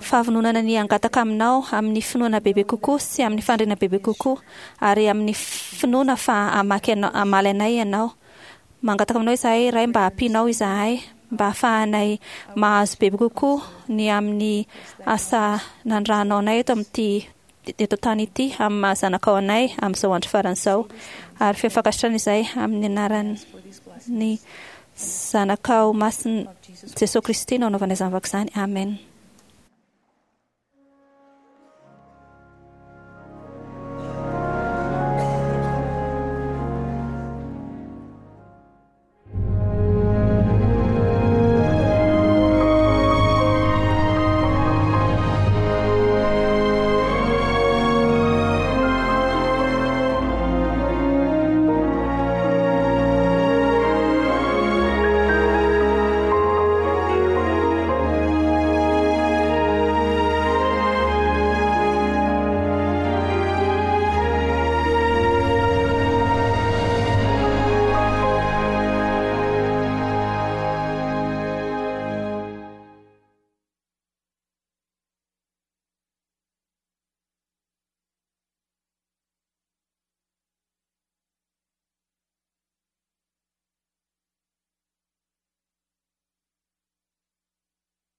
fahavononana ny hangataka aminao amin'ny finoana bebe kokoa sy amin'ny faniriana bebe kokoa ary amin'ny finoana fa hamaky anao, hamaly anay ianao. Mangataka aminao izahay Ray mba hampianao izahay mba hahafahanay mahazo bebe kokoa ny amin'ny asa nanirahanao anay eto amin'ity eto an-tany ity amin'ny maha zanakao anay amin'izao andro farany izao. Ary feno fankasitrahana izahay amin'ny anaran'ny Zanakao Masina Jesoa Kristy no anaovana izany vavaka izany. Amen.